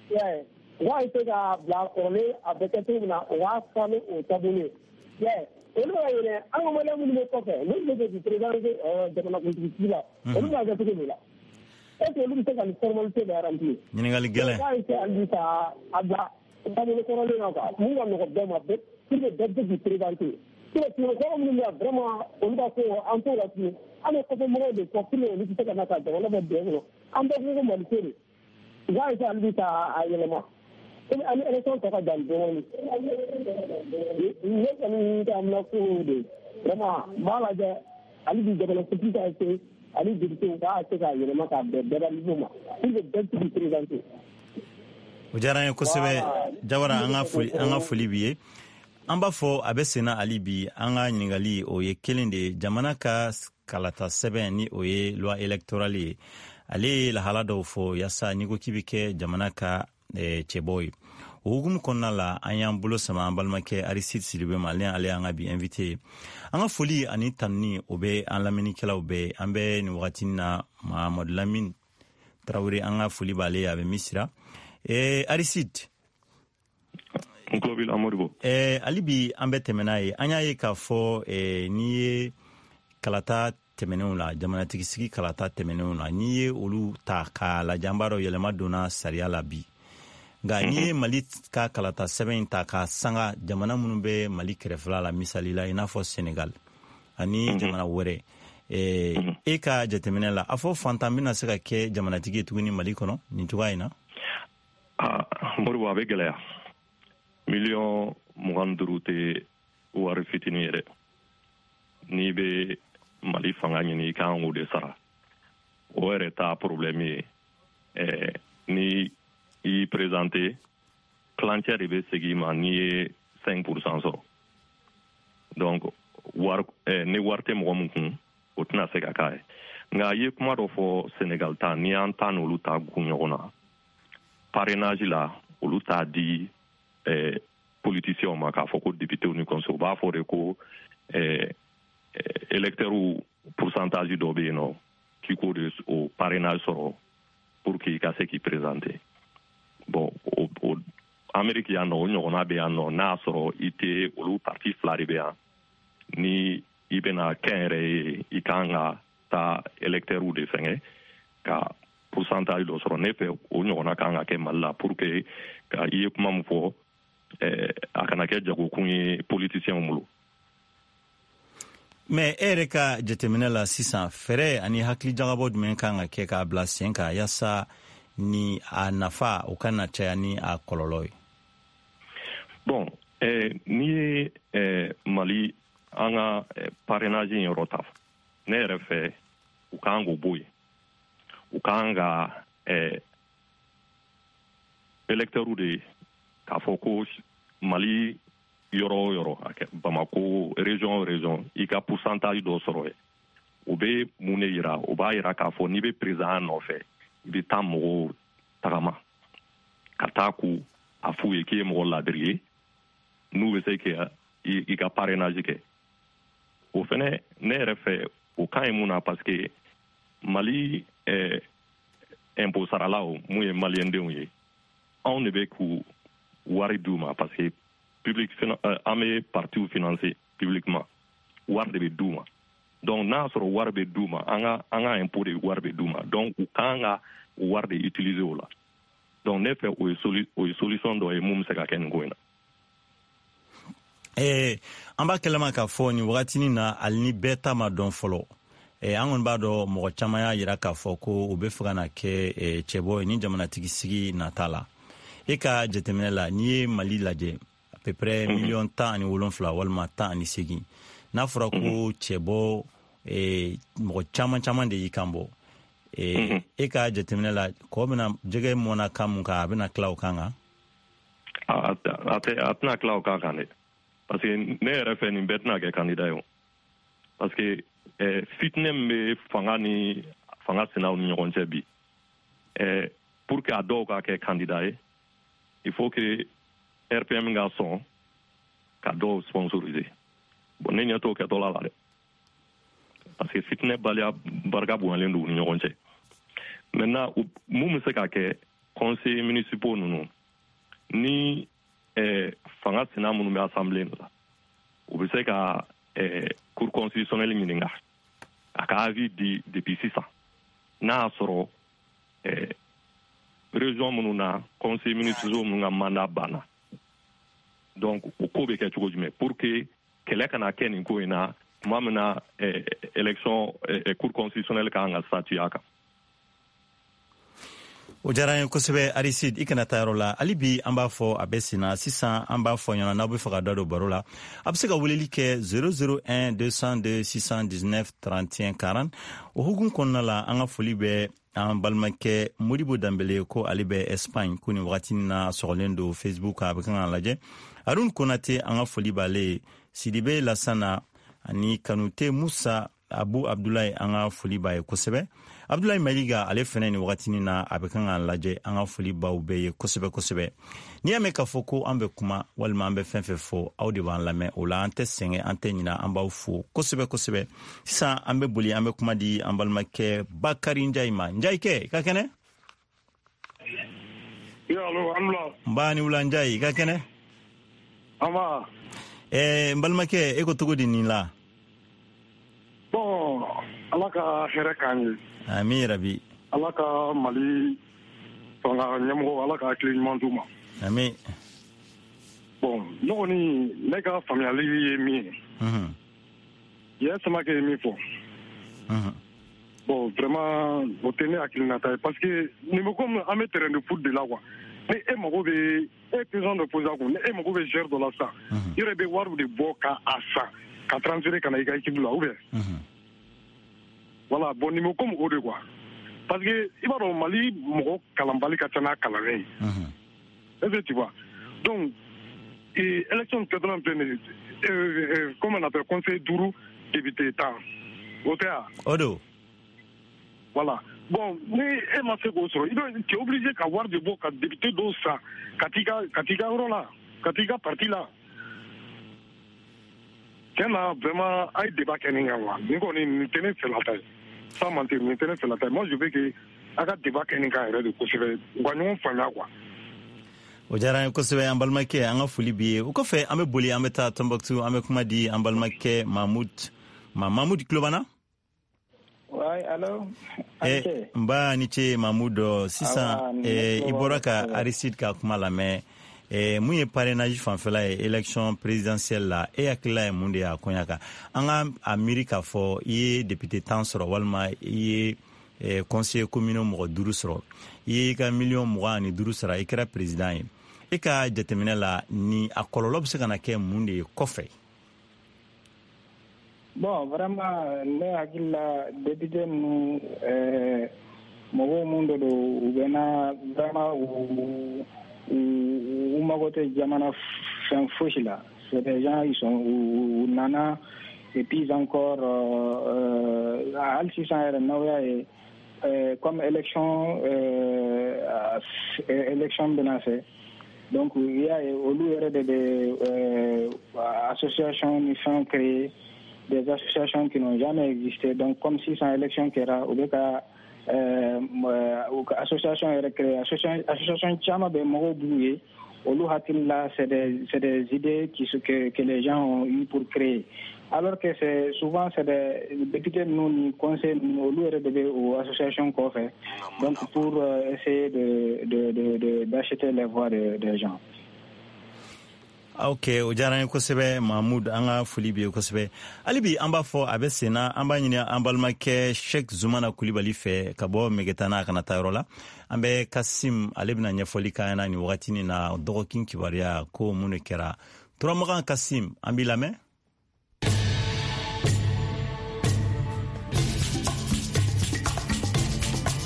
I y'a ye, u b'a essayer k'a bila kɔrɔlen, a bɛ kɛ cogo min na, u b'a fɔ ni o taabolo ye. I y'a ye, olu bɛ ka yɛlɛ an ka maliyɛn minnu bɛ kɔfɛ, n'olu bɛ k'i présenter jamanakuntigi sigi la, olu b'a kɛ cogo min la, est ce que olu bɛ se ka nin formalité bɛɛ remplir? Ɲininkali gɛlɛn. U b'a essayer hali bi ka a bila taabolo kɔrɔlen na quoi, mun ka nɔgɔn bɛɛ ma, pour que bɛɛ bɛ se k'i présenter. Sinon kɔrɔ minnu bɛ yan, vraiment, olu ka ko an t'o la tuguni. An bɛ kɔfɛ mɔgɔw de fɔ pour que olu tɛ se ka na ka jamana bɔ dingɛ kɔnɔ. An bɛɛ ko ko Mali ko de. U b'a essayer hali bi ka a yɛlɛma. Komi an ni élection tɔ ka jan dɔɔnin. Ne kɔni ka amina ko de. Vraiment, n b'a lajɛ hali bi jamanakuntigi ka essayer ani député k'a essayer k'a yɛlɛma k'a bɛn bɛɛ ka niveau ma pour que bɛɛ bɛ se k'i présenter. O diyara an ye kosɛbɛ, Jawara. An ka foli, an ka foli b'i ye. An b'a fɔ a bɛ senna hali bi. An ka ɲininkali o ye kelen de ye: jamana ka kalata sɛbɛn, ni o ye loi électorale ye, ale ye lahala dɔw fɔ yaasa n'i ko k'i bɛ kɛ jamana ka cɛbɔ ye. O hukumu kɔnɔna la, an y'an bolo sama an balimakɛ Aristide Sidibe ma. Ale y'an ka bi invité ye. An ka foli ani tanuni o bɛ an lamɛnnikɛlaw bɛɛ. An bɛ nin wagati na, Mahamadu Lamine Tarawele, an ka foli b'ale ye, a bɛ Misira. Aristide. N tulo b'i la, Modibo. Hali bi an bɛ tɛmɛ n'a ye. An y'a ye k'a fɔ n'i ye kalata tɛmɛnenw la, jamanatigi sigi kalata tɛmɛnenw la, n'i ye olu ta k'a lajɛ, an b'a dɔn yɛlɛma donna sariya la bi. Nka n'i ye Mali ka kalata sɛbɛn in ta k'a sanga jamana minnu bɛ Mali kɛrɛfɛla la, misali la i n'a fɔ Senegal ani jamana wɛrɛ, e ka jateminɛ la, a fɔ fantan bɛna se ka kɛ jamanatigi ye tuguni Mali kɔnɔ nin cogoya in na? Modibo, a bɛ gɛlɛya. 25 millions tɛ wari fitinin ye dɛ. N'i bɛ Mali fanga ɲini, i kan k'o de sara. O yɛrɛ t'a problème ye. Ni i y'i présenter, tilancɛ de bɛ segin i ma n'i ye 5% sɔrɔ. Donc wari, ni wari tɛ mɔgɔ min kun, o tɛna se ka k'a ye. Nka i ye kuma dɔ fɔ, Senegal ta, n'i y'an ta n'olu ta gun ɲɔgɔn na, parrainage la, olu t'a di politiciens ma k'a fɔ ko députés ni conseil. U b'a fɔ de ko électeurs pourcentage dɔ bɛ yen nɔ, k'i k'o de o parrainage sɔrɔ pour que i ka se k'i présenter. Bon, o Amérique yan nɔ, o ɲɔgɔnna bɛ yan nɔ. N'a y'a sɔrɔ i tɛ, olu parti fila de bɛ yan, ni i bɛna kɛ yɛrɛ ye, i kan ka taa électeurs de fɛngɛ ka pourcentage dɔ sɔrɔ. Ne fɛ, o ɲɔgɔnna kan ka kɛ Mali la pour que ka i ye kuma min fɔ, a kana kɛ jagokun ye politiciens bolo. Mais e yɛrɛ ka jateminɛ la sisan, fɛɛrɛ ani hakilijagabɔ jumɛn kan ka kɛ k'a bila sen kan yaasa ni a nafa o kana caya ni a kɔlɔlɔ ye? Bon. N'i ye Mali an ka parrainage in yɔrɔ ta, ne yɛrɛ fɛ, u kan k'o bɔ yen. U kan ka électeurs de k'a fɔ ko Mali yɔrɔ o yɔrɔ, Bamako région o région, i ka pourcentage dɔ sɔrɔ yen. O bɛ mun de yira? O b'a yira k'a fɔ n'i bɛ président nɔfɛ, i bɛ taa mɔgɔw tagama ka taa k'u a f'u ye k'i ye mɔgɔ ladiri ye, n'u bɛ se ka i ka parrainage kɛ. O fɛnɛ, ne yɛrɛ fɛ, o ka ɲi. Mun na? Parce que Mali impôt saralaw, mun ye maliyɛndenw ye, anw de bɛ k'u wari d'u ma, parce que public, an bɛ partiw financer publiquement, wari de bɛ d'u ma. Donc n'a y'a sɔrɔ wari bɛ d'u ma, an ka impôt de wari bɛ d'u ma, donc u kan ka o wari de utiliser o la. Donc ne fɛ, o ye solution dɔ ye mun bɛ se ka kɛ nin ko in na. An b'a kɛlɛma k'a fɔ nin wagatinin na, hali ni bɛɛ ta ma dɔn fɔlɔ, an kɔni b'a dɔn mɔgɔ caman y'a yira k'a fɔ ko u bɛ fɛ ka na kɛ cɛbɔ ye ni jamanatigi sigi nata la. E ka jateminɛ la, n'i ye Mali lajɛ, à peu près 17 miliyɔn walima 18, n'a fɔra ko cɛbɔ, mɔgɔ caman caman de y'i kan bɔ, e ka jateminɛ la, kɔ bɛna jɛgɛ mɔnna kan mun kan, a bɛna tila o kan kan? A tɛna tila o kan kan dɛ, parce que ne yɛrɛ fɛ, nin bɛɛ tɛna kɛ candidat ye o, parce que fitinɛ min bɛ fanga ni fanga sinaw ni ɲɔgɔn cɛ bi, pour que a dɔw ka kɛ candidat ye, il faut que RPM ka sɔn ka dɔw sponsoriser. Bon, ne ɲɛ t'o kɛtɔla la dɛ, parce que fitinɛ baliya barika bonyalen don u ni ɲɔgɔn cɛ. Maintenant, mun bɛ se ka kɛ? Conseillers municipaux ninnu ni fanga sina minnu bɛ assemblée la, u bɛ se ka Cour constitutionnelle ɲininka a ka avis di depuis sisan, n'a y'a sɔrɔ région minnu na, conseillers municipaux minnu ka mandat banna, donc o ko bɛ kɛ cogo jumɛn, pour que kɛlɛ kana kɛ nin ko in na tuma min na élection, Cour constitutionnelle kan ka statuer a kan. O diyara n ye kosɛbɛ, Aristide. I kana taa yɔrɔ la hali bi. An b'a fɔ a bɛ sen na sisan. An b'a fɔ ɲɛna, n'aw bɛ fɛ ka da don baro la, a bɛ se ka weleli kɛ 001 202 619 31 40. O hukumu kɔnɔna la, an ka foli bɛ an balimakɛ Modibo Danbele, ko ale bɛ Espagne, ko nin wagati na sɔgɔlen don Facebook kan, a bɛ kan k'a lajɛ. Arun Konate, an ka foli b'ale ye. Sidibe Lasana ani Kanute Musa Abu Abdulayi, an ka foli b'a ye kosɛbɛ. Abdulayi Maliga, ale fɛnɛ nin wagatinin na a bɛ kan k'an lajɛ. An ka foli baw bɛɛ ye kosɛbɛ kosɛbɛ. N'i y'a mɛn k'a fɔ ko an bɛ kuma walima an bɛ fɛn fɛn fɔ, aw de b'an lamɛn. O la an tɛ sɛgɛn, an tɛ ɲina, an b'aw fo kosɛbɛ kosɛbɛ. Sisan an bɛ boli, an bɛ kuma di an balimakɛ Bakari Njayi ma. Njayi kɛ, i ka kɛnɛ? N ba ni wula, Njayi, i ka kɛnɛ? N balimakɛ, e ko cogo di nin la? Bon, Ala ka hɛrɛ k'an ye. Amin rabi. Ala ka Mali fanga ɲɛmɔgɔ, Ala ka hakili ɲuman d'u ma. Amin. Bon, ne kɔni, ne ka faamuyali ye min ye, yɛ Samakɛ ye min fɔ, bon, vraiment, o tɛ ne hakilinata ye, parce que nin bɛ comme an bɛ terrain de foot de la quoi. Ni e mago bɛ, e président de poser kun, ni e mago bɛ joueur dɔ la sisan, i yɛrɛ bɛ wari de bɔ ka a san ka transférer ka na i ka équipe la ou bien. Voilà, bon, nin bɛ comme o de quoi, parce que i b'a dɔn, Mali mɔgɔ kalanbali ka ca n'a kalannen ye. Est-ce que tu vois? Donc et élection kɛtɔla filɛ nin ye, comment on appelle, conseil duuru, député 10, o tɛ wa? O don. Voilà, bon, ni e ma se k'o sɔrɔ, i bɛ, tu es obligé ka wari de bɔ ka député dɔw san ka t'i ka yɔrɔ la, ka t'i ka parti la. Tiɲɛ na, vraiment, a ye débat kɛ nin kan quoi. Nin kɔni, nin tɛ ne fɛlata ye, sans mentir, nin tɛ ne fɛlata ye. Moi, je veux que a ka débat kɛ nin kan yɛrɛ de kosɛbɛ, u ka ɲɔgɔn faamuya quoi. O diyara an ye kosɛbɛ, an balimakɛ, an ka foli b'i ye. O kɔfɛ, an bɛ boli, an bɛ taa Tɔnbɔkutu, an bɛ kuma di an balimakɛ Mahmud ma. Mahmud Kulobana? Ouais, allo. Nba ni ce, Mahmud. Sisan i bɔra ka Aristide ka kuma lamɛn. Mun ye parrainage fanfɛla ye élection présidentielle la, e hakilila ye mun de ye a koɲa kan? An ka a miiri k'a fɔ i ye député 10 sɔrɔ, walima i ye conseiller communaux mɔgɔ duuru sɔrɔ, i ye i ka 25 miliyɔn sara, i kɛra président ye. E ka jateminɛ la, ni a kɔlɔlɔ bɛ se ka na kɛ mun de ye kɔfɛ? Bon, vraiment, ne hakili la, député ninnu, mɔgɔw mun de don, u bɛ na vraiment, u mago tɛ jamana fɛn fosi la. C'est des gens, ils sont u nana, et puis encore, hali sisan yɛrɛ, n'aw y'a ye, comme élection bɛna fɛ, donc i y'a ye, olu yɛrɛ de bɛ association ni fɛnw créer, des associations qui n'ont jamais existé. Donc comme sisan élection kɛra, u bɛ ka association yɛrɛ créer. Association caman bɛ, mɔgɔw b'u ye, olu hakili la, c'est des idées que les gens ont eu pour créer, alors que c'est souvent, c'est des députés ninnu ni conseil ninnu, olu yɛrɛ de bɛ o association kɔfɛ, donc pour essayer de de de d'acheter les voix des gens. Ok, o diyara n ye kosɛbɛ, Mahmud. An ka foli b'i ye kosɛbɛ. Hali bi an b'a fɔ a bɛ sen na, an b'a ɲini an balimakɛ Sheikh Zumana Kulibali fɛ ka bɔ Megetana, a kana taa yɔrɔ la. An bɛ Kasim, ale bɛna ɲɛfɔli k'an ɲɛna nin wagatinin na, dɔgɔkin kibaruya ko mun de kɛra Turamagan. Kasim, an b'i lamɛn.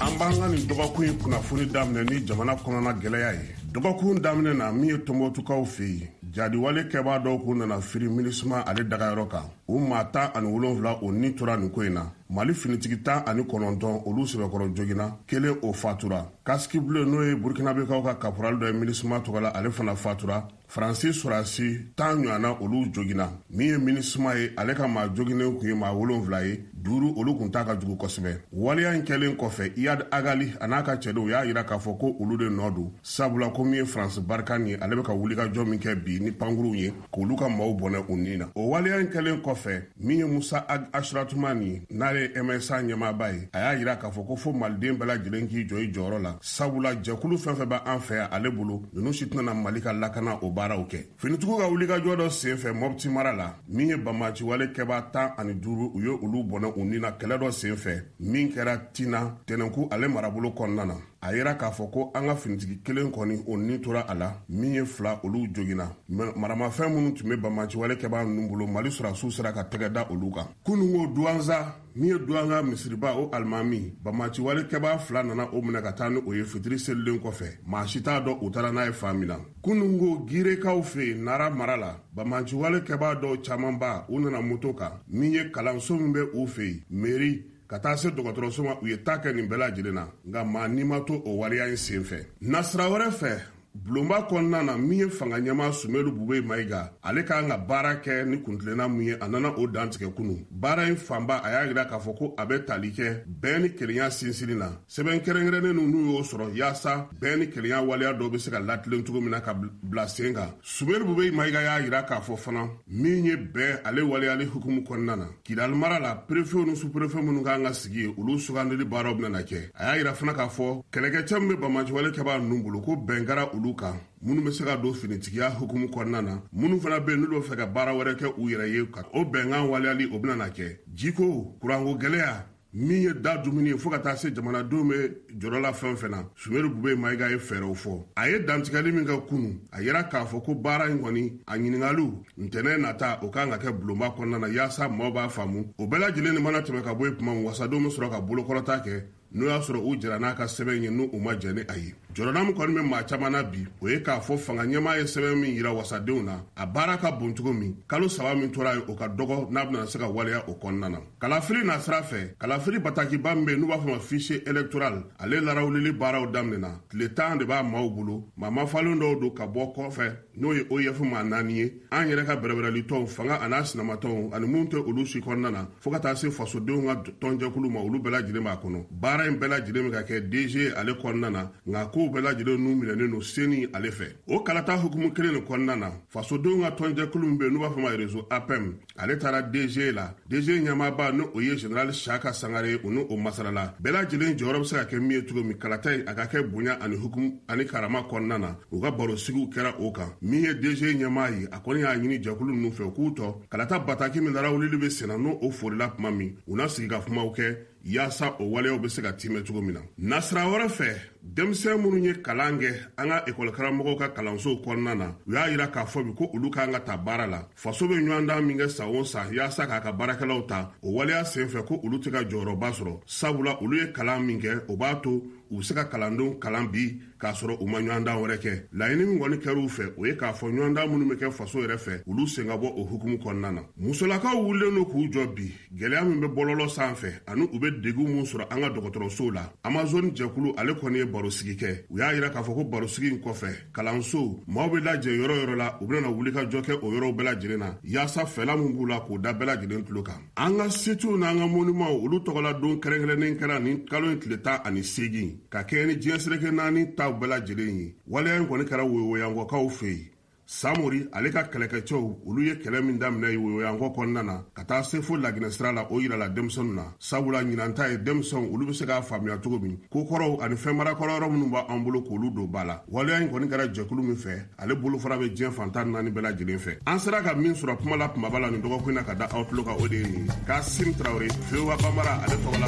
An b'an ka nin dɔgɔkun in kunnafoni daminɛ ni jamana kɔnɔna gɛlɛya ye. Dɔgɔkun daminɛ na, min ye Tɔnbɔtukaw fɛ yen, jadiwale kɛbaa dɔw kun nana firi MINUSMA ale dagayɔrɔ kan. U maa 17, o ni tora nin ko in na. Mali finitigi 19, olu sɛbɛkɔrɔ joginna, kelen o fatura. Casque bleu, n'o ye Burkinabekaw ka caporal dɔ ye MINUSMA tɔgɔ la, ale fana fatura. Faransi sɔrɔdasi 10 ɲɔgɔnna, olu joginna. Min ye MINUSMA ye, ale ka maa joginen kun ye maa wolonfila ye, duuru olu kun t'a ka jugu kosɛbɛ. Waleya in kɛlen kɔfɛ, Iyad Ag Ghali a n'a ka cɛdenw y'a yira k'a fɔ ko olu de nɔ don, sabula ko min ye Faransi Barkhane ye, ale bɛ ka wulikajɔ min kɛ bi ni pankuruw ye k'olu ka maaw bɔnɛ u ni na. O waleya in kɛlen kɔfɛ, min ye Musa Ag Asuratumani, n'ale ye MSA ɲɛmaaba ye, a y'a yira k'a fɔ ko fo maliden bɛɛ lajɛlen k'i jɔ i jɔyɔrɔ la, sabula jɛkulu fɛn fɛn bɛ an fɛ yan ale bolo, ninnu si tɛna Mali ka lakana o baaraw kɛ. Finitigiw ka wulikajɔ dɔ sen fɛ Mɔpti mara la, min ye banbaanciwale kɛbaa 15, u ye olu bɔnɛ u ni na kɛlɛ dɔ sen fɛ min kɛra Tina Tɛnɛnku ale marabolo kɔnɔna na. A yira k'a fɔ ko an ka finitigi kelen kɔni, o ni tora a la, min ye fila, olu joginna. Maramafɛn minnu tun bɛ banbaanciwale kɛbaa ninnu bolo, Mali sɔrɔdasiw sera ka tɛgɛ da olu kan. Kununko, Duwanza, min ye Duwanza misiriba o alimami, banbaanciwale kɛbaa fila nana o minɛ ka taa ni o ye fitiri selilen kɔfɛ. Maa si t'a dɔn u taara n'a ye fan min na. Kununko, Girekaw fɛ yen Nara mara la, banbaanciwale kɛbaa dɔw camanba, u nana moto kan. Min ye kalanso min bɛ u fɛ yen, mairie, ka taa se dɔgɔtɔrɔso ma, u ye ta kɛ nin bɛɛ lajɛlen na, nka maa n'i ma to o waleya in sen fɛ. Nasira wɛrɛ fɛ, bulonba kɔnɔna na, min ye fanga ɲɛmaa Sumelu Bube Mayiga, ale k'an ka baara kɛ ni kuntilenna mun ye, a nana o dantigɛ kunu. Baara in fanba, a y'a yira k'a fɔ ko a bɛ tali kɛ bɛn ni kelenya sinsinni na. Sɛbɛn kɛrɛnkɛrɛnnen n'u y'o sɔrɔ yaasa bɛn ni kelenya waleya dɔw bɛ se ka latilen cogo min na ka bila sen kan. Sumelu Bube Mayiga y'a yira k'a fɔ fana, min ye bɛn ale waleyali hukumu kɔnɔna na, Kidali mara la, préfetw ni sous-préfet minnu kan ka sigi yen, olu sugandili baaraw bɛna kɛ. A y'a yira fana k'a fɔ kɛlɛkɛcɛ min bɛ banbaanciwale kɛbaa ninnu bolo, ko bɛn kɛra olu kan, minnu bɛ se ka don finitigiya hukumu kɔnɔna na, minnu fana bɛ yen n'olu bɛ fɛ ka baara wɛrɛ kɛ u yɛrɛ ye, ka o bɛnkan waleyali, o bɛna kɛ. Jiko, kuranko gɛlɛya, min ye da dumuni ye, fo ka taa se jamanadenw bɛ jɔrɔ la fɛn fɛn na, Sumelu Bube Mayiga ye fɛɛrɛw fɔ. A ye dantigɛli min kɛ kunu, a yira k'a fɔ ko baara in kɔni, a ɲiningaliw ntɛnɛn nata, o kan ka kɛ bulonba kɔnɔna na, yaasa maaw b'a faamu. O bɛɛ lajɛlen ni mana tɛmɛ ka bɔ yen tuma min, wasadenw bɛ sɔrɔ ka bolokɔrɔta kɛ, n'o y'a sɔrɔ u jɛra n'a ka sɛbɛn ye, n'u u ma jɛn ni a ye. Jɔrɔna min kɔni bɛ maa caman na bi, o ye k'a fɔ fanga ɲɛmaa ye sɛbɛn min yira wasadenw na, a baara ka bon cogo min, kalo 3 min tora ye, o ka dɔgɔ n'a bɛna se ka waleya o kɔnɔna na. Kalafili nasira fɛ, kalafili batakiba min bɛ yen n'u b'a fɔ ma fichier électoral, ale larawulili baaraw daminɛna. Tile 10 de b'a maaw bolo. Maa mafalen dɔw don ka bɔ kɔfɛ, n'o ye OIF maa naani ye, an yɛrɛ ka bɛrɛbɛrɛlitɔnw, fanga an'a sinamatɔnw, ani minnu tɛ olu si kɔnɔna na, fo ka taa se fasodenw ka tɔnjɛkulu ma, olu bɛɛ lajɛlen b'a kɔnɔ. Baara in bɛɛ lajɛlen bɛ ka kɛ DG ale kɔnɔna na, nka kow bɛɛ lajɛlen n'u minɛnen don CENI ale fɛ. O kalata hukumu kelen de kɔnɔna na, fasodenw ka tɔnjɛkulu min bɛ yen n'u b'a fɔ ma réseau APEM, ale taara DG la. DG ɲɛmaaba, n'o o ye général Siaka Sangare, u n'o masalala bɛɛ lajɛlen jɔyɔrɔ bɛ se ka kɛ min ye cogo min kalata in a ka kɛ bonya ani hukumu ani karama kɔnɔna na, u ka barosigiw kɛra o kan. Min ye DG ɲɛmaa ye, a kɔni y'a ɲini jɛkulu ninnu fɛ k'u tɔ kalata bataki min larawulili bɛ senna, n'o o forila tuma min, u na sigi ka kumaw kɛ. yaasa o waleyaw bɛ se ka timɛ cogo min na. Nasira wɛrɛ fɛ, denmisɛn minnu ye kalan kɛ an ka ekɔlikaramɔgɔw ka kalansow kɔnɔna na, u y'a yira k'a fɔ bi ko olu kan ka ta baara la. Faso bɛ ɲɔgɔndan min kɛ san o san yaasa k'a ka baarakɛlaw ta, o waleya senfɛ ko olu tɛ ka jɔyɔrɔba sɔrɔ, sabula olu ye kalan min kɛ, o b'a to u bɛ se ka kalandenw kalan bi k'a sɔrɔ u ma ɲɔgɔndan wɛrɛ kɛ. Laɲini min kɔni kɛra u fɛ, o ye k'a fɔ ɲɔgɔndan minnu bɛ kɛ faso yɛrɛ fɛ, olu sen ka bɔ o hukumu kɔnɔna na. Musolakaw wulilen don k'u jɔ bi gɛlɛya min bɛ bɔlɔlɔ sanfɛ ani u bɛ degun min sɔrɔ an ka dɔgɔtɔrɔsow la. Amazone jɛkulu ale kɔni ye barosigi kɛ. U y'a yira k'a fɔ ko barosigi in kɔfɛ, kalansow maaw bɛ lajɛ yɔrɔ yɔrɔ la, u bɛna wulikajɔ kɛ o yɔrɔw bɛɛ lajɛlen na yaasa fɛla min b'u la k'o da bɛɛ lajɛlen tulo kan. An ka sitiw n'an ka monimanw, olu tɔgɔla don kɛrɛnkɛrɛnnen kɛra nin kalo in tile 18, ka kɛɲɛ ni diɲɛ seleke naani taw bɛɛ lajɛlen ye. Waleya in kɔni kɛra woyowoyankɔkaw fɛ yen. Samori ale ka kɛlɛkɛcɛw, olu ye kɛlɛ min daminɛ woyoyankɔ kɔnɔna na ka taa se fo Laginɛ sira la, o yirala denmisɛnw na, sabula ɲinan ta ye denmisɛnw olu bɛ se k'a faamuya cogo min ko kɔrɔw ani fɛnmarakɔrɔ yɔrɔ minnu b'an bolo k'olu don ba la. Waleya in kɔni kɛra jɛkulu min fɛ, ale bolofara bɛ diɲɛ fan 14 bɛɛ lajɛlen fɛ. An sera ka min sɔrɔ kuma la kumaba la nin dɔgɔkun na ka da aw tulo kan, o de ye nin ye. Kasim Tarawele, VOA Bambara ale tɔgɔ la.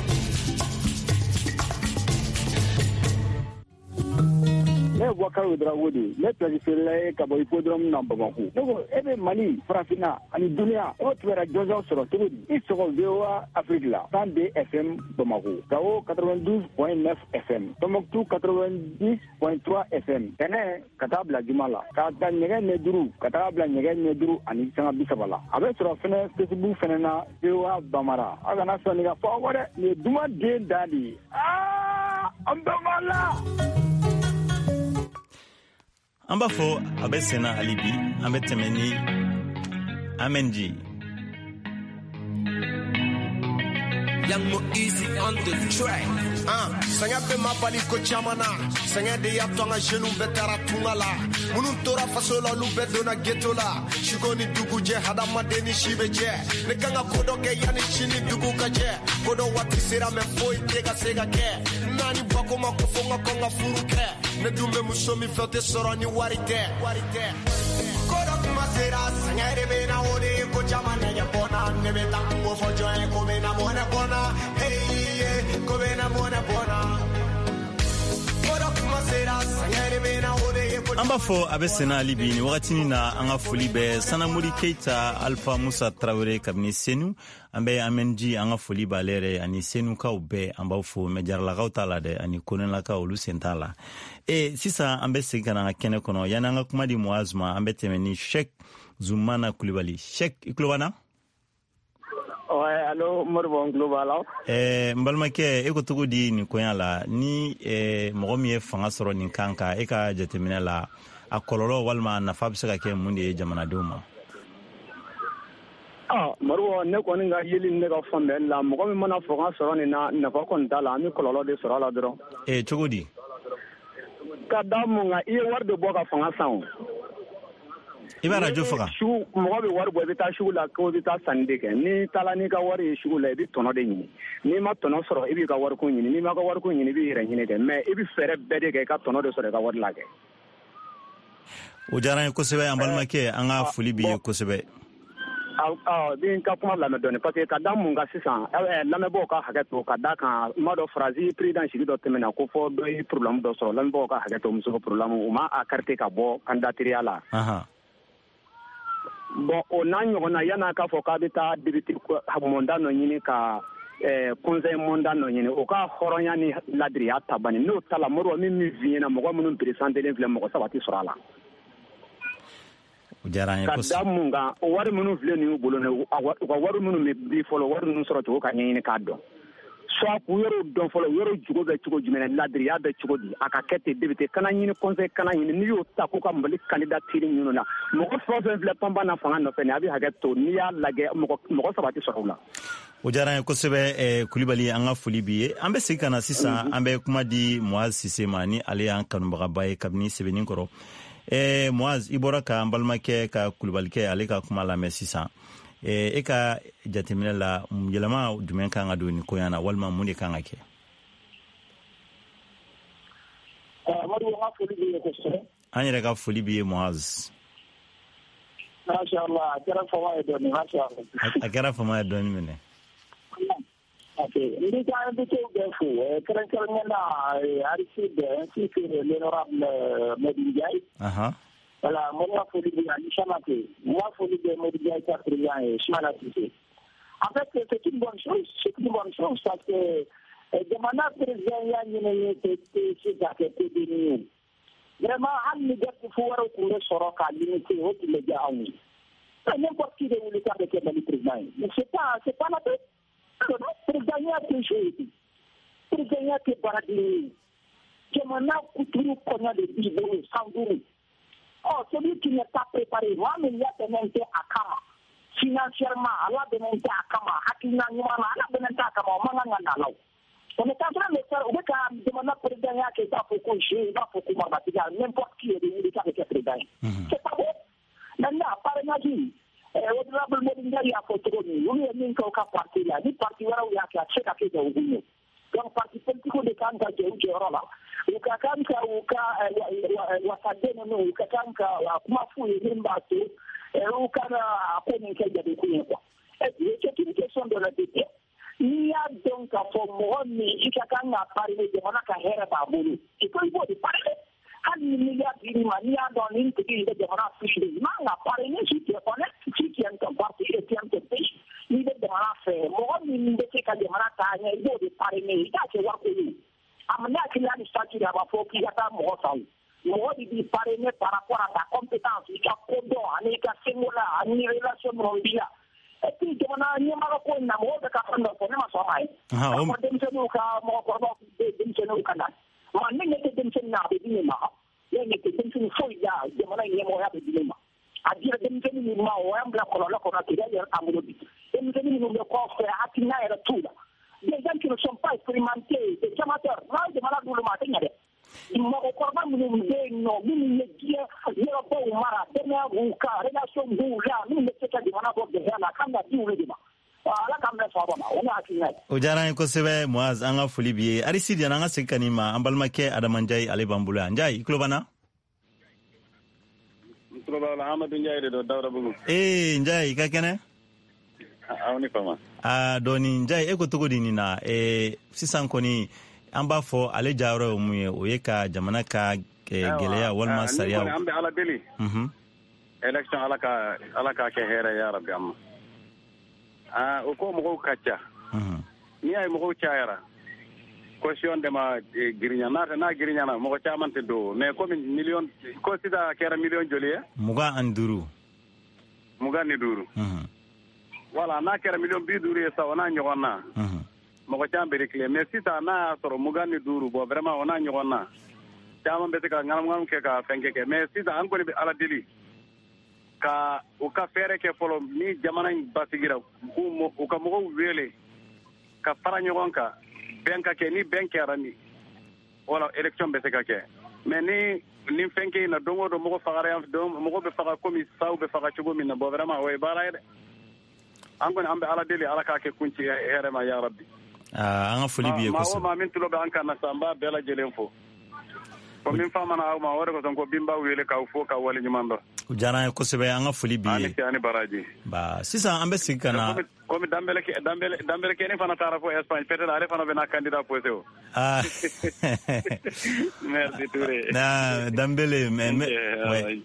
Ne ye Bubakari Ouedraogo de ye, ne place feerela ye ka bɔ hippodrome na Bamako. Ne ko e bɛ Mali, Farafinna ani duniya, e bɛ kibaruya jɔnjɔn sɔrɔ cogo di? I sɔgɔ VOA Afrique la, 102 FM Bamako, Gao 92.9 FM, Tombouctou 90.3 FM. Tɛnɛ ka taa bila juma la, k'a ta nɛgɛ ɲɛ 5 ka taa bila nɛgɛ ɲɛ 5:30 la. A bɛ sɔrɔ fɛnɛ Facebook fɛnɛ na, VOA Bambara. Aw kana sɔn nin ka fɔ aw kɔ dɛ, nin ye duman den da de ye. Aa, an bɛɛ b'a la. An b'a fɔ a bɛ senna hali bi, an bɛ tɛmɛ ni Amen G. Young Mo Easy on the track. Sɛgɛn bɛ ma bali ko caman na. Sɛgɛn de y'a to an ka jeunes bɛɛ taara tunga la. Minnu tora faso la, olu bɛɛ donna ghetto la. Suko ni dugu jɛ, hadamaden ni si bɛ jɛ. Ne kan ka ko dɔ kɛ yanni sini dugu ka jɛ. Ko dɔ waati sera mɛ foyi tɛ ka se ka kɛ. Naani bako ma ko fo n ka kɔn ka furu kɛ. Ne dun bɛ muso min fɛ, o tɛ sɔrɔ ni wari tɛ. Ko dɔ kuma sera, sɛgɛn de bɛ na, o de ye ko caman nɛgɛ bɔ n na. Ne bɛ taa n ko fɔ jɔn ye, ko bɛ na mɔnɛ bɔ n na. Hey, ko bɛ na mɔnɛ bɔ n na. Ko dɔ kuma sera, sɛgɛn de bɛ na, o de ye ko An b'a fɔ a bɛ senna hali bi nin wagatinin na. An ka foli bɛ Sanamori Keita, Alpha Musa Tarawele kabini Senu. An bɛ Amenji, an ka foli b'ale yɛrɛ ani Senukaw bɛɛ, an b'aw fo. Mɛ Jaralakaw t'a la dɛ, ani Konelakaw, olu sen t'a la. E sisan an bɛ segin ka na an ka kɛnɛ kɔnɔ. Yanni an ka kuma di Muaz ma, an bɛ tɛmɛ ni Sheikh Zumana Kulibali. Sheikh, i tulo b'an na? Ouais, allo, Moribo, n tulo b'a la. N balimakɛ, e ko cogo di nin koɲa la? Ni mɔgɔ min ye fanga sɔrɔ nin kan kan, e ka jateminɛ la, a kɔlɔlɔ walima a nafa bɛ se ka kɛ mun de ye jamanadenw ma? Moribo, ne kɔni ka yeli ne ka faamuyali la, mɔgɔ min mana fanga sɔrɔ nin na, nafa kɔni t'a la, an bɛ kɔlɔlɔ de sɔrɔ a la dɔrɔn. Cogo di? Ka da mun kan, i ye wari de bɔ ka fanga san o. I b'a radio faga. Sugu, mɔgɔ bɛ wari bɔ, i bɛ taa sugu la ko i bɛ taa sanni de kɛ. N'i taara n'i ka wari ye sugu la, i bɛ tɔnɔ de ɲini. N'i ma tɔnɔ sɔrɔ, i b'i ka wariko ɲini. N'i ma ka wariko ɲini, i b'i yɛrɛ ɲini kɛ. Mais i bɛ fɛɛrɛ bɛɛ de kɛ i ka tɔnɔ de sɔrɔ i ka wari la kɛ. O diyara n ye kosɛbɛ, an balimakɛ, an ka foli b'i ye kosɛbɛ. Bi n ka kuma lamɛn dɔɔni, parce que ka da mun kan sisan, lamɛnbaaw ka hakɛ to, ka da kan n b'a dɔn Faransi président sigi dɔ tɛmɛna ko fɔ dɔ ye problème dɔ sɔrɔ, lamɛnbaaw ka hakɛ to, muso ka problème, u ma a carte ka bɔ candidature la. Bon, o n'a ɲɔgɔnna, yan'a k'a fɔ k'a bɛ taa député mandat dɔ ɲini ka conseil mandat dɔ ɲini, o ka hɔrɔnya ni ladiriya ta bani. N'o ta la, Moribo, min f'i ɲɛna, mɔgɔ minnu présentélen filɛ, mɔgɔ 3 tɛ sɔrɔ a la. O diyara an ye Ka kosɛbɛ. da mun kan, o wari minnu filɛ nin y'u bolo nin ye, u ka wari minnu bɛ di fɔlɔ, wari ninnu sɔrɔ cogo ka ɲɛɲini k'a dɔn. Soit k'u yɔrɔw dɔn fɔlɔ, yɔrɔ jogo bɛ cogo jumɛn na, ladiriya bɛ cogo di, a ka kɛ ten député kana ɲini, conseil kana ɲini. N'i y'o ta k'u ka Mali candidature ɲini na, mɔgɔ fɛn o fɛn filɛ panpan na fanga nɔfɛ nin, a bɛ hakɛ to, n'i y'a lajɛ, mɔgɔ 3 tɛ sɔrɔ u la. O diyara an ye kosɛbɛ, Kulibali, an ka foli b'i ye. An bɛ segin ka na sisan, an bɛ kuma di Muaz Sise ma, ni ale y'an kanubagaba ye kabini Sɛbɛnni kɔrɔ. Muaz, i bɔra ka an balimakɛ ka Kulubalikɛ ale ka kuma lamɛn sisan. E ka jateminɛ la, yɛlɛma jumɛn kan ka don nin koɲa na, walima mun de kan ka kɛ? Amadu, an ka foli b'i ye kosɛbɛ. An yɛrɛ ka foli b'i ye, Muaz. Masha Allah, a kɛra fama ye dɔɔni, masha Allah. A kɛra fama ye dɔɔni minɛ. Ok, n b'i ka invité bɛɛ fo, kɛrɛnkɛrɛnnenya la Aristide ainsi que l'honorable Modou Ndiaye. Voilà, n ka foli bɛ ani Samake, n ka foli bɛ Modou Ndiaye ka président ye, Soumana Cissé. En fait, c'est une bonne chose, c'est une bonne chose parce que jamana président ya ɲini tɛ se ka kɛ kodenni ye. Vraiment, hali ni garde-fou wɛrɛw tun bɛ sɔrɔ k'a limiter, o tun bɛ diya anw ye. N'importe qui de wuli k'a bɛ kɛ Mali président ye. Mais c'est pas la peine. Président ya tɛ jouer, président ya tɛ baaraden ye. Jamana kuturu kɔɲɔ de b'i bolo san 5. Ɔ, celui qui n'est pas préparé, maa min labɛnnen tɛ a kama financièrement, a labɛnnen tɛ a kama hakilina ɲuman na, a labɛnnen tɛ a kama, o man kan ka na la o. On est en train de faire, u bɛ ka jamana président ya kɛ i b'a fɔ ko jeu, i b'a fɔ ko marabatigiya, n'importe qui de wuli k'a bɛ kɛ président ye. C'est pas bon. Maintenant, parrainage, honorable Modou Ndiaye y'a fɔ cogo min, olu ye min kɛ u ka parti la, ni parti wɛrɛw y'a kɛ, a tɛ se ka kɛ jagokun ye. Donc parti politique de kan ka jɔ u jɔyɔrɔ la, u ka kan ka u ka wasaden ninnu, u ka kan ka kuma f'u ye min b'a to u kana a ko nin kɛ jagokun ye quoi. Et puis c'est une question de l'honnêteté. N'i y'a dɔn k'a fɔ mɔgɔ min i ka kan ka parrainer, jamana ka hɛrɛ b'a bolo, i ko i b'o de parrainer. Hali ni milliard dir'i ma, n'i y'a dɔn nin tigi in bɛ jamana fiche, i man ka parrainer. Si tu es honnête, si tu aimes ton parti et tu aimes ton pays, n'i bɛ jamana fɛ, mɔgɔ min bɛ se ka jamana taa ɲɛ, i b'o de parrainer. I t'a kɛ wariko ye. A ma ne hakili la ni statut a b'a fɔ k'i ka taa mɔgɔ san o. Mɔgɔ de b'i parrainer par rapport à ta compétence, i ka kodɔn ani i ka sengola ani relation minnu b'i la. Et puis jamana ɲɛmɔgɔ ko in na, mɔgɔw bɛ ka fɛn dɔ fɔ, ne ma sɔn a ma ye. K'a fɔ denmisɛnninw ka, mɔgɔkɔrɔbaw bɛ denmisɛnninw ka na. Ma ne ɲɛ tɛ denmisɛnnin na, a bɛ di ne ma. Ne ɲɛ tɛ denmisɛnnin foyi la, jamana in ɲɛmɔgɔya bɛ di ne ma. A dira denmisɛnnin min ma, o y'an bila kɔlɔlɔ kɔnɔ, Kidali yɛrɛ t'an bolo bi. Denmisɛnnin minnu bɛ kɔfɛ, hakilina yɛrɛ t'u la. Des gens qui ne sont pas expérimentés, des amateurs, n'a ye jamana d'olu ma, a tɛ ɲɛ dɛ. Mɔgɔkɔrɔba minnu bɛ yen nɔ, minnu ye diɲɛ yɔrɔbaw mara, dɔnniya b'u kan, relation b'u la, minnu bɛ se ka jamana bɔ gɛlɛya la, a kan ka di olu de ma. Ala k'an bɛn sawaba ma, o ne hakilina ye. O diyara an ye kosɛbɛ, Muaz, an ka foli b'i ye. Aristide, yanni an ka segin ka n'i ma, an balimakɛ Adama Njayi, ale b'an bolo yan. Njayi, i tulo b'an na? N tulo b'aw la. Amadu Njayi de don, Dawudabugu. Ee, Njayi, i ka kɛnɛ? Aw ni fama. Aa, dɔɔni. Njayi, e ko cogo di nin na? Sisan kɔni, an b'a fɔ ale jayɔrɔ ye mun ye? O ye ka jamana ka gɛlɛya walima sariya. An bɛ Ala deli. Élection, Ala ka kɛ hɛrɛ ya rabi an ma. Aa, o ko mɔgɔw ka ca. N'i y'a ye mɔgɔw cayara, caution de ma girinya n'a tɛ, n'a girinyana, mɔgɔ caman tɛ don. Mais komi miliyɔn ko sisan, a kɛra miliyɔn joli ye? 25. 25. Voilà, n'a kɛra miliyɔn 50 ye sa, o n'a ɲɔgɔn na, mɔgɔ caman bɛ reculer. Mais sisan n'a y'a sɔrɔ 25, bon, vraiment, o n'a ɲɔgɔn na, caman bɛ se ka ŋanamu kɛ ka fɛn kɛ. Mais sisan an kɔni bɛ Ala deli ka u ka fɛɛrɛ kɛ fɔlɔ ni jamana in basigira, u ka mɔgɔw wele ka fara ɲɔgɔn kan, bɛn ka kɛ. Ni bɛn kɛra, ni wala élection bɛ se ka kɛ. Mais ni fɛn kɛ in na, don o don mɔgɔ fagara yan, mɔgɔ bɛ faga komi saw bɛ faga cogo min na. Bon, vraiment, o ye baara ye dɛ. An kɔni, an bɛ Ala deli, Ala k'a kɛ kunci hɛrɛ ma ya rabi. An ka foli b'i ye Maa o kosɛbɛ. maa min tulo bɛ an kan na sa, an b'a bɛɛ lajɛlen fo. Ko min famana aw ma, o de kosɔn ko bin b'aw wele k'aw fo k'aw waleɲuman dɔn. O diyara an ye kosɛbɛ, an ka foli b'i Ani ye. ce, ani baraji. Ba, sisan an bɛ segin ka na. Komi Danbele kɛni fana taara fo Espagne, peut-être ale fana bɛna candidat posé o. Ah. Merci Touré. Na Danbele, mais ouais.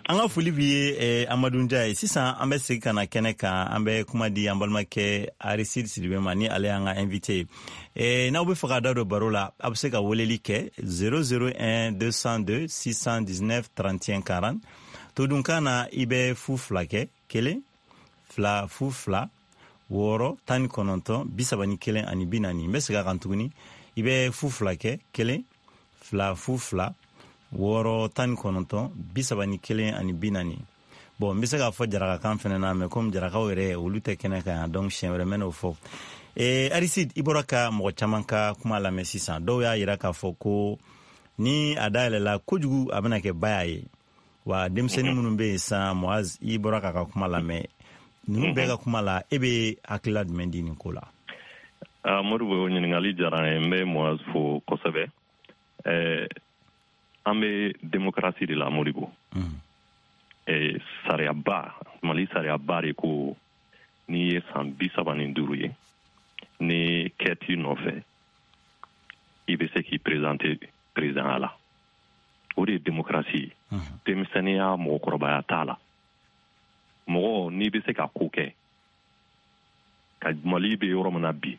An ka foli b'i ye, Amadu Njaye. Sisan an bɛ segin ka na kɛnɛ kan, an bɛ kuma di an balimakɛ Aristide Sidibe ma, ni ale y'an ka invité ye. N'aw bɛ fɛ ka da don baro la, a bɛ se ka weleli kɛ 001 202 619 31 40. Todunkan na, i bɛ 02 kɛ, 1 2 0 2 6 19 31 ani 40. N bɛ segin a kan tuguni, i bɛ 02 kɛ, 1 2 0 2 6 19 31 ani 40. Bon, n bɛ se k'a fɔ jarakakan fɛnɛ na, mais komi jarakaw yɛrɛ olu tɛ kɛnɛ kan yan, donc siɲɛ wɛrɛ n bɛ n'o fɔ. Aristide, i bɔra ka mɔgɔ caman ka kuma lamɛn sisan. Dɔw y'a yira k'a fɔ ko ni a dayɛlɛla kojugu, a bɛna kɛ baya ye wa. Denmisɛnnin minnu bɛ yen sisan, Moaz, i bɔra k'a ka kuma lamɛn, ninnu bɛɛ ka kuma la, e bɛ hakilila jumɛn di nin ko la? Ah, Modibo, o ɲininkali diyara n ye. N bɛ Moaz fo kosɛbɛ. An bɛ démocratie de la, Modibo. Sariyaba, Mali sariyaba de ko n'i ye san 35 ye. Ni kɛ t'i nɔfɛ, i bɛ se k'i présenter président la. O de ye démocratie ye. Denmisɛnninya, mɔgɔkɔrɔbaya t'a la. Mɔgɔ n'i bɛ se ka ko kɛ ka Mali bɛ yɔrɔ min na bi,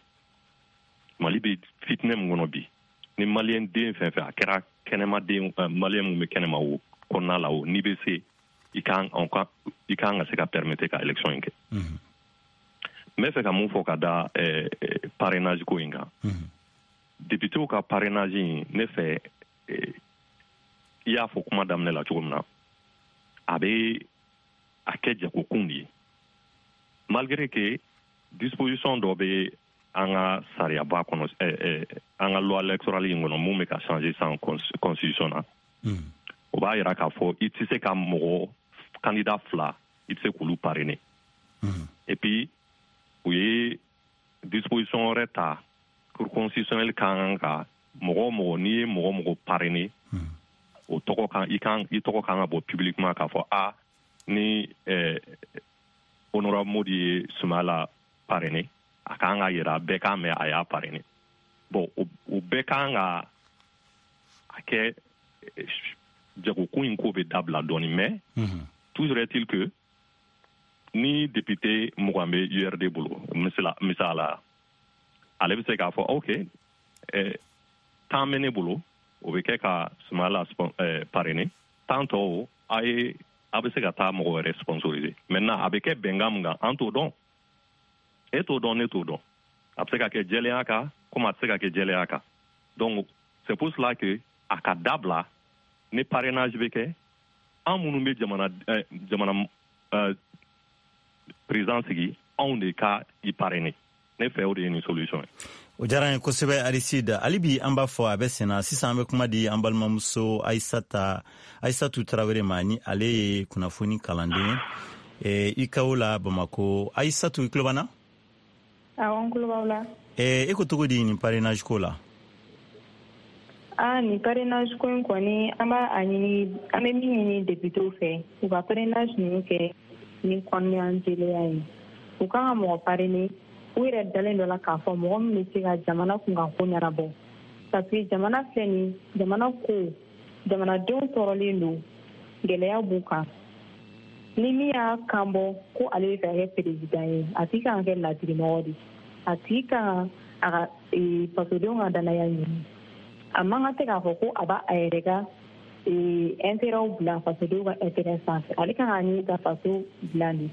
Mali bɛ fitinɛ min kɔnɔ bi, ni maliyɛn den fɛn fɛn, a kɛra kɛnɛmaden, maliyɛn min bɛ kɛnɛma o, kɔnɔna la o, n'i bɛ se, i kan ka se ka permettre ka élection in kɛ. N bɛ fɛ ka mun fɔ ka da parrainage ko in kan? Députéw ka parrainage in, ne fɛ, i y'a fɔ kuma daminɛ la cogo min na, a bɛ a kɛ jagokun de ye, malgré que disposition dɔ bɛ an ka sariyaba kɔnɔ, an ka loi électorale in kɔnɔ, mun bɛ ka changer san constitution na. O b'a yira k'a fɔ i tɛ se ka mɔgɔ candidat fila, i tɛ se k'olu parrainer. Et puis u ye disposition wɛrɛ ta, cour constitutionnelle ka kan ka mɔgɔ o mɔgɔ, n'i ye mɔgɔ o mɔgɔ parrainer, o tɔgɔ kan, i kan, i tɔgɔ kan ka bɔ publiquement k'a fɔ a ni honorable Modi ye Sumala parrainer, a kan ka yira, bɛɛ k'a mɛn a y'a parrainer. Bon, o bɛɛ kan ka a kɛ jagokun in ko bɛ dabila dɔɔni. Mais toujours est-il que ni député 20 bɛ URD bolo, misala, ale bɛ se k'a fɔ ok, 10 bɛ ne bolo, o bɛ kɛ ka Sumala parrainer, 10 tɔw a ye, a bɛ se ka taa mɔgɔ wɛrɛ sponsoriser. Maintenant, a bɛ kɛ bɛnkan min kan, an t'o dɔn, e t'o dɔn, ne t'o dɔn. A bɛ se ka kɛ jɛlenya kan komi a tɛ se ka kɛ jɛlenya kan. Donc c'est pour cela que a ka dabila. Ni parrainage bɛ kɛ, an minnu bɛ jamana président sigi, anw de ka i parrainer. Ne fɛ, o de ye nin solution ye. O diyara n ye kosɛbɛ, Aristide. Hali bi an b'a fɔ a bɛ senna. Sisan an bɛ kuma di an balimamuso Ayisata, Ayisatu Tarawele ma, ni ale ye kunnafoni kalanden ye ICAO la Bamako. Ayisatu, i tulo b'an na? Awɔ, n tulo b'aw la. E ko cogo di nin parrainage ko la? Ah, nin parrainage ko in kɔni, an b'a a ɲini, an bɛ min ɲini députéw fɛ, u ka parrainage ninnu kɛ ni kɔnɔna jɛlenya ye. U kan ka mɔgɔ parrainer u yɛrɛ dalen dɔ la k'a fɔ mɔgɔ min bɛ se ka jamana kunkanko ɲɛnabɔ, parce que jamana filɛ nin, jamana ko, jamanadenw tɔɔrɔlen don, gɛlɛya b'u kan. Ni min y'a kan bɔ ko ale bɛ fɛ ka kɛ président ye, a tigi kan ka kɛ ladirimɔgɔ de, a tigi kan a ka fasodenw ka danaya ɲini. A man kan tɛ k'a fɔ ko a b'a a yɛrɛ ka intérêt bila fasodenw ka intérêt sanfɛ. Ale kan k'a ɲini ka faso dilan de.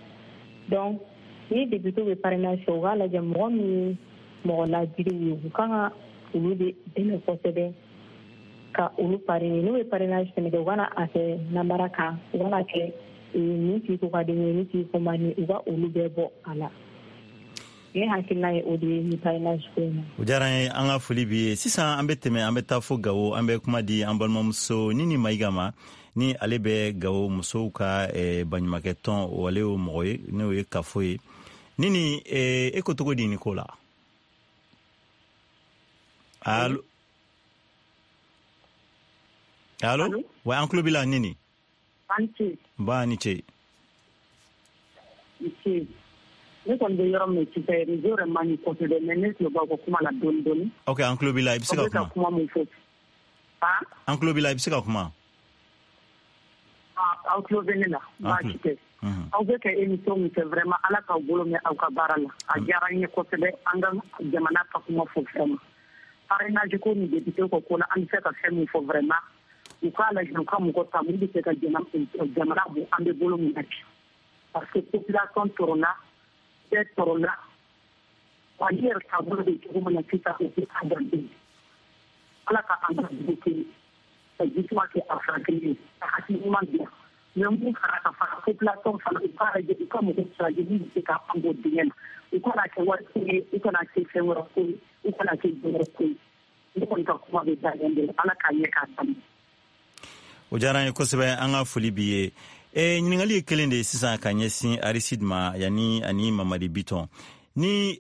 Donc ni député bɛ parrainage kɛ, u k'a lajɛ mɔgɔ min ye mɔgɔ ladiriw ye, u kan ka olu de dɛmɛ kosɛbɛ ka olu parrainer. N'u bɛ parrainage fɛnɛ kɛ, u kana a kɛ namara kan, u kana kɛ nin tigi ko ka di n ye, nin tigi ko man di, u ka olu bɛɛ bɔ a la. Ne hakilina ye o de ye ni parrainage ko in na. O diyara n ye, an ka foli b'i ye. Sisan an bɛ tɛmɛ, an bɛ taa fo Gawo. An bɛ kuma di an balimamuso Nini Mayiga ma, ni ale bɛ Gawo musow ka baɲumankɛ tɔn, o ale y'o mɔgɔ ye, n'o ye kafo ye. Nini, e ko cogo di nin ko la? Allo, allo? Wa, an tulo b'i la, Nini. Ba ni ce. Ne kɔni bɛ yɔrɔ min sisan, réseau yɛrɛ man ɲi kosɛbɛ, mais ne tulo b'aw ka kuma la dɔɔni dɔɔni. Ok, an tulo b'i la, i bɛ se ka kuma. Kuma mun fɔ? An tulo b'i la, i bɛ se ka kuma. Aw tulo bɛ ne la, baasi tɛ. Aw bɛ ka émission min kɛ, vraiment, Ala k'aw bolo mɛn aw ka baara la. A diyara n ye kosɛbɛ, an ka jamana ka kuma fɔ vraiment. Parrainage ko ni député ko ko la, an bɛ se ka fɛn min fɔ vraiment, u k'a lajɛ, u ka mɔgɔ ta mun bɛ se ka jamana bɔ an bɛ bolo min na bi. Parce que population tɔɔrɔla, bɛɛ tɔɔrɔla. Mali yɛrɛ taabolo bɛ cogo min na sisan, o tɛ adamaden. Ala ka an ka dugu kɛ ka jisuma kɛ a furakɛli ye, ka hakili ɲuman di yan. Mais mun fara ka fara population fana, u k'a lajɛ, u ka mɔgɔ siraji min bɛ se ka an bɔ dingɛ na. U kana kɛ wari ko ye, u kana kɛ fɛn wɛrɛ ko ye, u kana kɛ dɔ wɛrɛ ko ye. Ne kɔni ka kuma bɛ da yan de la. Ala k'a ɲɛ k'a d'a. O diyara an ye kosɛbɛ, an ka foli b'i ye. Ɲininkali ye kelen de ye sisan ka ɲɛsin Aristide ma yanni ani Mamadi Bitɔn. Ni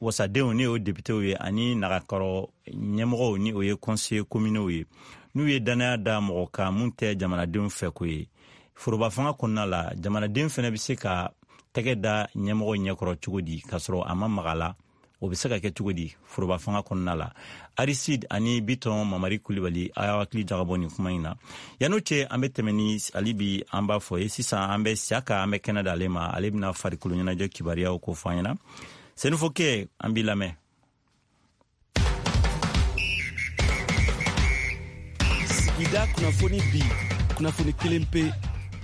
wasadenw, ni o députéw ye, ani nagakɔrɔ ɲɛmɔgɔw, ni o ye conseiller communaux ye, n'u ye danaya da mɔgɔ kan mun tɛ jamanadenw fɛ ko ye, foroba fanga kɔnɔna la, jamanaden fɛnɛ bɛ se ka tɛgɛ da ɲɛmɔgɔ ɲɛkɔrɔ cogo di k'a sɔrɔ a ma maga la? O bɛ se ka kɛ cogo di foroba fanga kɔnɔna la? Aristide ani Bitɔn Mamari Kulibali, a y'aw hakili jagabɔ nin kuma in na. Yan'o cɛ, an bɛ tɛmɛ ni hali bi an b'a fɔ ye sisan, an bɛ Siyaka, an bɛ kɛnɛ d'ale ma. Ale bɛna farikolo ɲɛnajɛ kibaruyaw ko fɔ an ɲɛna. Senufokɛ, an b'i lamɛn. Sigida kunnafoni, bi kunnafoni kelen pe,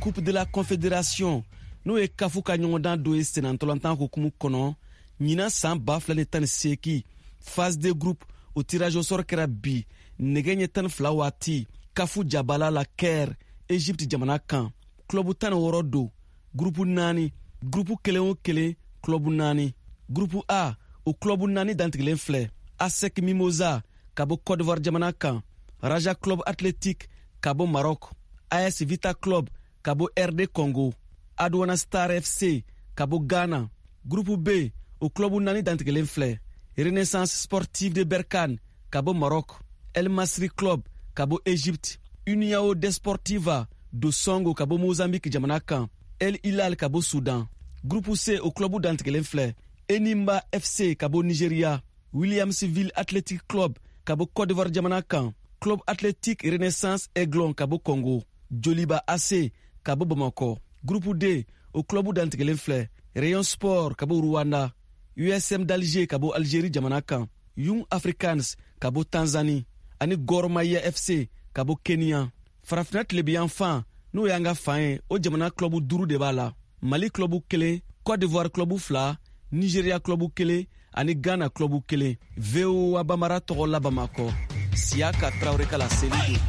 Coupe de la Confédération, n'o ye Kafu ka ɲɔgɔndan dɔ ye sennantolatan hukumu kɔnɔ, ɲinan san 2018, phase de groupe, o tirage au sort kɛra bi nɛgɛ ɲɛ 12 waati Kafu jabala la, Caire, Egypte jamana kan. Club 16 don, gurupu naani, gurupu kelen o kelen club naani. Gurupu A, o club naani dantigɛlen filɛ: ASEC Mimosa ka bɔ Côte d'Ivoire jamana kan, Raja Club Athletic ka bɔ Maroc, AS Vita Club ka bɔ RD Congo, Aduana Star FC ka bɔ Ghana. Gurupu B, o club naani dantigɛlen filɛ: Renaissance Sportive de Berkane ka bɔ Maroc, El Masri Club ka bɔ Egypte, União Desportiva do Songo ka bɔ Mozambique jamana kan, El Hilal ka bɔ Sudan. Groupe C, o club dantigɛlen filɛ: Enyimba FC ka bɔ Nigeria, Williamsville Athletic Club ka bɔ Côte d'Ivoire jamana kan, Club Athletic Renaissance Aiglon ka bɔ Congo, Joliba AC ka bɔ Bamakɔ. Groupe D, o club dantigɛlen filɛ: Rayon Sport ka bɔ Rwanda, USM d'Alger ka bɔ Algérie jamana kan, Young Africans ka bɔ Tanzanie ani Gor Mahia FC ka bɔ Kenya. Farafinna tilebiyanfan, n'o y'an ka fan ye, o jamana club duuru de b'a la: Mali club kelen, Côte d'Ivoire club fila, Nigeria club kelen ani Ghana club kelen. VOA Bambara tɔgɔ la Bamakɔ, Siyaka Tarawele ka laseli don.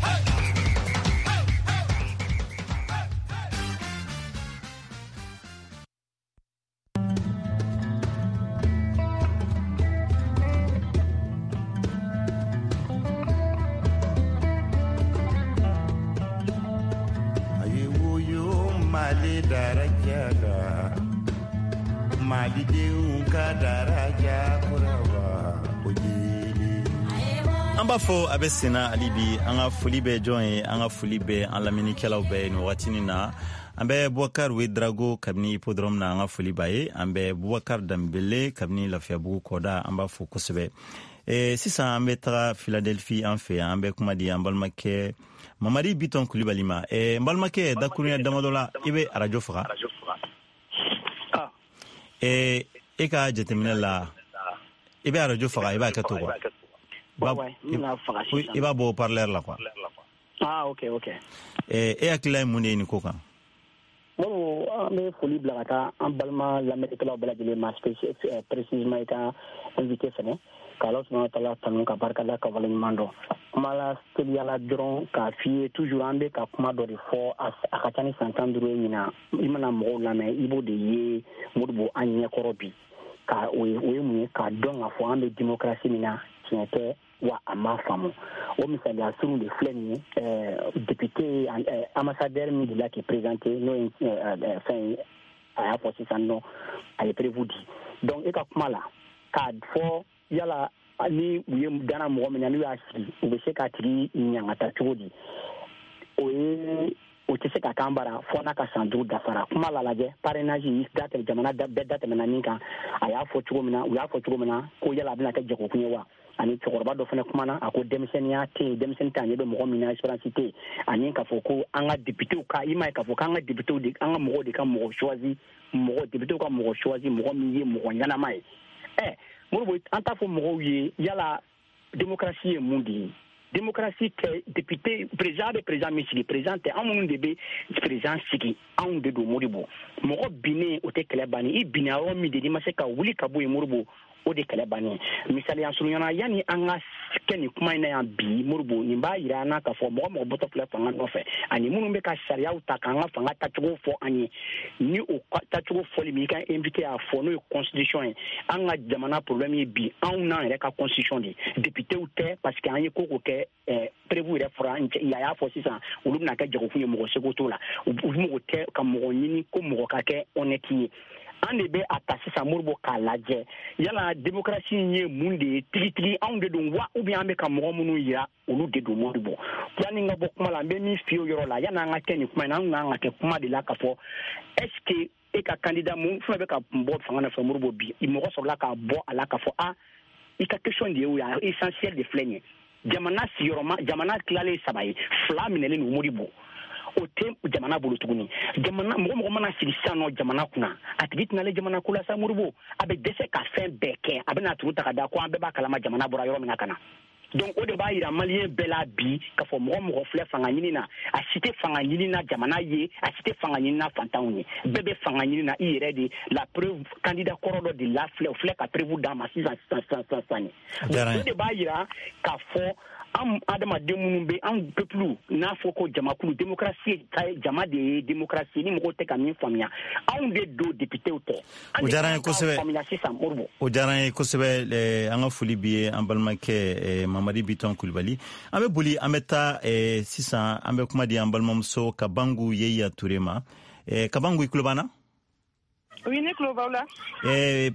Mali daraja la, Malidenw ka daraja kurawa o jeli. An b'a fɔ a bɛ senna hali bi. An ka foli bɛ jɔn ye? An ka foli bɛ an lamɛnnikɛlaw bɛɛ ye nin wagatinin na. An bɛ Bubakar Wedrago kabini Hippodrome na, an ka foli b'a ye. An bɛ Bubakar Danbele kabini Lafiyabugu kɔda, an b'a fo kosɛbɛ. Sisan an bɛ taga Philadelphie, an fɛ yan. An bɛ kuma di an balimakɛ Mamadi Bitɔn Kulibali ma. N balimakɛ, dakurunya damadɔ la, i bɛ arajo faga. E ka jateminɛ la, i bɛ arajo faga, i b'a kɛ to quoi, i b'a bɔ haut-parleur la quoi. Ah, ok. E hakilila ye mun de ye nin ko kan? Modibo, an bɛ foli bila ka taa an balima lamɛnnikɛlaw bɛɛ lajɛlen ma, précisément i ka invité fɛnɛ, k'Ala subahana taala tanu ka barika da ka waleɲuman dɔn. Kuma la teliyala dɔrɔn k'a f'i ye, toujours an bɛ ka kuma dɔ de fɔ, a ka ca ni san 15 ye ɲinan. I mana mɔgɔw lamɛn, i b'o de ye, Modibo, an ɲɛkɔrɔ bi. Ka o ye, o ye mun ye? K'a dɔn k'a fɔ an bɛ démocratie min na, tiɲɛ tɛ wa, a ma faamu. O misaliya surun de filɛ nin ye: député ambassadeur min delila k'i présenté, n'o ye fɛn ye, a y'a fɔ sisan nɔ, a ye preuve di. Donc e ka kuma la k'a fɔ yala ni u ye dana mɔgɔ min na, n'u y'a sigi, u bɛ se k'a tigi ɲangata cogo di? O ye, o tɛ se ka k'an bara fɔ n'a ka san 5 dafara. Kuma la lajɛ, parrainage da tɛmɛ, jamana bɛɛ da tɛmɛna min kan, a y'a fɔ cogo min na, u y'a fɔ cogo min na ko yala a bɛna kɛ jagokun ye wa? Ani cɛkɔrɔba dɔ fana kumana, a ko denmisɛnninya tɛ yen, denmisɛnnin tɛ, a ɲɛ bɛ mɔgɔ min na, expérience tɛ yen. Ani k'a fɔ ko an ka députéw ka, i m'a ye k'a fɔ k'an ka députéw de, an ka mɔgɔw de ka mɔgɔ choisi, mɔgɔ députéw ka mɔgɔ choisi, mɔgɔ min ye mɔgɔ ɲɛnama ye. Modibo, an t'a fɔ mɔgɔw ye yala démocratie ye mun de ye? Démocratie tɛ député, président bɛ président min sigi, président tɛ, an minnu de bɛ président sigi, anw de don. Modibo, mɔgɔ binnen, o tɛ kɛlɛ bannen. I binna yɔrɔ min de, n'i ma se ka wuli ka bɔ yen, Modibo, o de kɛlɛ bannen. Misaliya surunyana, yanni an ka kɛ nin kuma in na yan bi, Modibo, nin b'a yira an na k'a fɔ mɔgɔ mɔgɔ bɔtɔ filɛ fanga nɔfɛ, ani minnu bɛ ka sariyaw ta k'an ka fanga tacogo fɔ an ye, ni o tacogo fɔli min, i ka invité y'a fɔ, n'o ye constitution ye. An ka jamana problème ye bi, anw n'an yɛrɛ ka constitution de, députéw tɛ, parce que an ye ko ko kɛ, preuve yɛrɛ fɔra, a y'a fɔ sisan, olu bɛna kɛ jagokun ye, mɔgɔ seko t'o la. U mago tɛ ka mɔgɔ ɲini ko mɔgɔ ka kɛ honnête ye. An de bɛ a ta sisan, Modibo, k'a lajɛ yala démocratie in ye mun de ye tigitigi? Anw de don wa, ou bien an bɛ ka mɔgɔ minnu yira, olu de don? Modibo, yanni n ka bɔ kuma la, n bɛ min f'i ye o yɔrɔ la, yanni an ka kɛ nin kuma in na, an kan ka kɛ kuma de la k'a fɔ est ce que E ka candidat mun fɛn bɛ ka bɔ fanga nɔfɛ, Modibo, bi mɔgɔ sɔrɔla k'a bɔ a la k'a fɔ a i ka question de ye o ye, essentiel de filɛ nin ye. Jamana sigiyɔrɔma, jamana tilalen saba ye, fila minɛlen don, Modibo, o tɛ jamana bolo tuguni. Jamana mɔgɔ mɔgɔ mana sigi sisan nɔ jamana kunna, a tigi tɛna ale jamana ko la sa, Modibo. A bɛ dɛsɛ ka fɛn bɛɛ kɛ, a bɛna turu ta ka da ko an bɛɛ b'a kalama jamana bɔra yɔrɔ min na ka na. Donc o de b'a yira maliyɛn bɛɛ la bi k'a fɔ mɔgɔ mɔgɔ filɛ fanga ɲini na, a si tɛ fanga ɲini na jamana ye, a si tɛ fanga ɲini na fantanw ye, bɛɛ bɛ fanga ɲini na i yɛrɛ de. La preuve, candidat kɔrɔ dɔ de la filɛ, o filɛ ka preuve d'a ma sisan sisan sisan sisan sisan. O de b'a yira k'a fɔ an adamaden minnu bɛ an peuple n'a fɔ ko jamakulu, démocratie jama de ye démocratie. Ni mɔgɔw tɛ ka min faamuya, anw de don, députéw tɛ. O diyara an ye kosɛbɛ. Faamuya sisan, Modibo. O diyara an ye kosɛbɛ. An ka foli b'i ye, an balimakɛ Mamadi Bitɔn Kulibali. An bɛ boli, an bɛ taa sisan, an bɛ kuma di an balimamuso Kabangu Yeya Ture ma. Kabangu, i tulo b'an na? Oui, ne tulo b'aw la.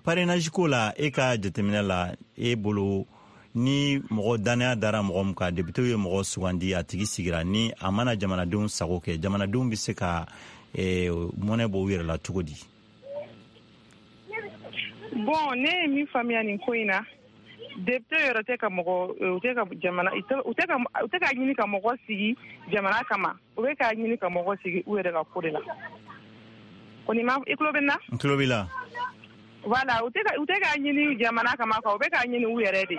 Parrainage ko la, e ka jateminɛ la, e bolo, ni mɔgɔ dannaya dara mɔgɔ min kan, député ye mɔgɔ sugandi, a tigi sigira, ni a mana jamanadenw sago kɛ, jamanadenw bɛ se ka mɔnɛ bɔ u yɛrɛ la cogo di? Bon, ne ye min faamuya nin ko in na, député yɛrɛ tɛ ka mɔgɔ, u tɛ ka jamana, u tɛ ka ɲini ka mɔgɔ sigi jamana kama, u bɛ k'a ɲini ka mɔgɔ sigi u yɛrɛ ka ko de la. Kɔni ma, i tulo bɛ n na? N tulo b'i la. Voilà, u tɛ k'a ɲini jamana kama quoi, u bɛ k'a ɲini u yɛrɛ de.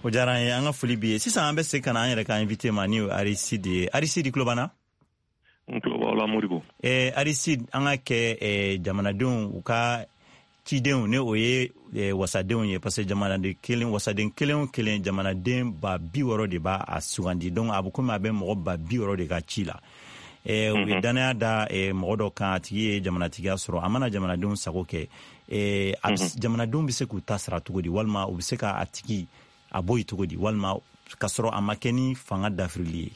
O diyara an ye, an ka foli b'i ye. Sisan an bɛ segin ka na an yɛrɛ ka invité ma, ni o ye Aristide ye. Aristide, i tulo b'an na? N tulo b'aw la, Modibo. Aristide, an ka kɛ jamanadenw u ka cidenw, ni o ye wasadenw ye, parce que jamanaden kelen, wasaden kelen o kelen, jamanaden 60 000 de b'a a sugandi. Donc a bɛ komi a bɛ mɔgɔ 60 000 de ka ci la. U ye danaya da mɔgɔ dɔ kan, a tigi ye jamanatigiya sɔrɔ, a mana jamanadenw sago kɛ, jamanadenw bɛ se k'u ta sara cogo di, walima u bɛ se ka a tigi a bɔ yen cogo di, walima k'a sɔrɔ a ma kɛ ni fanga dafirili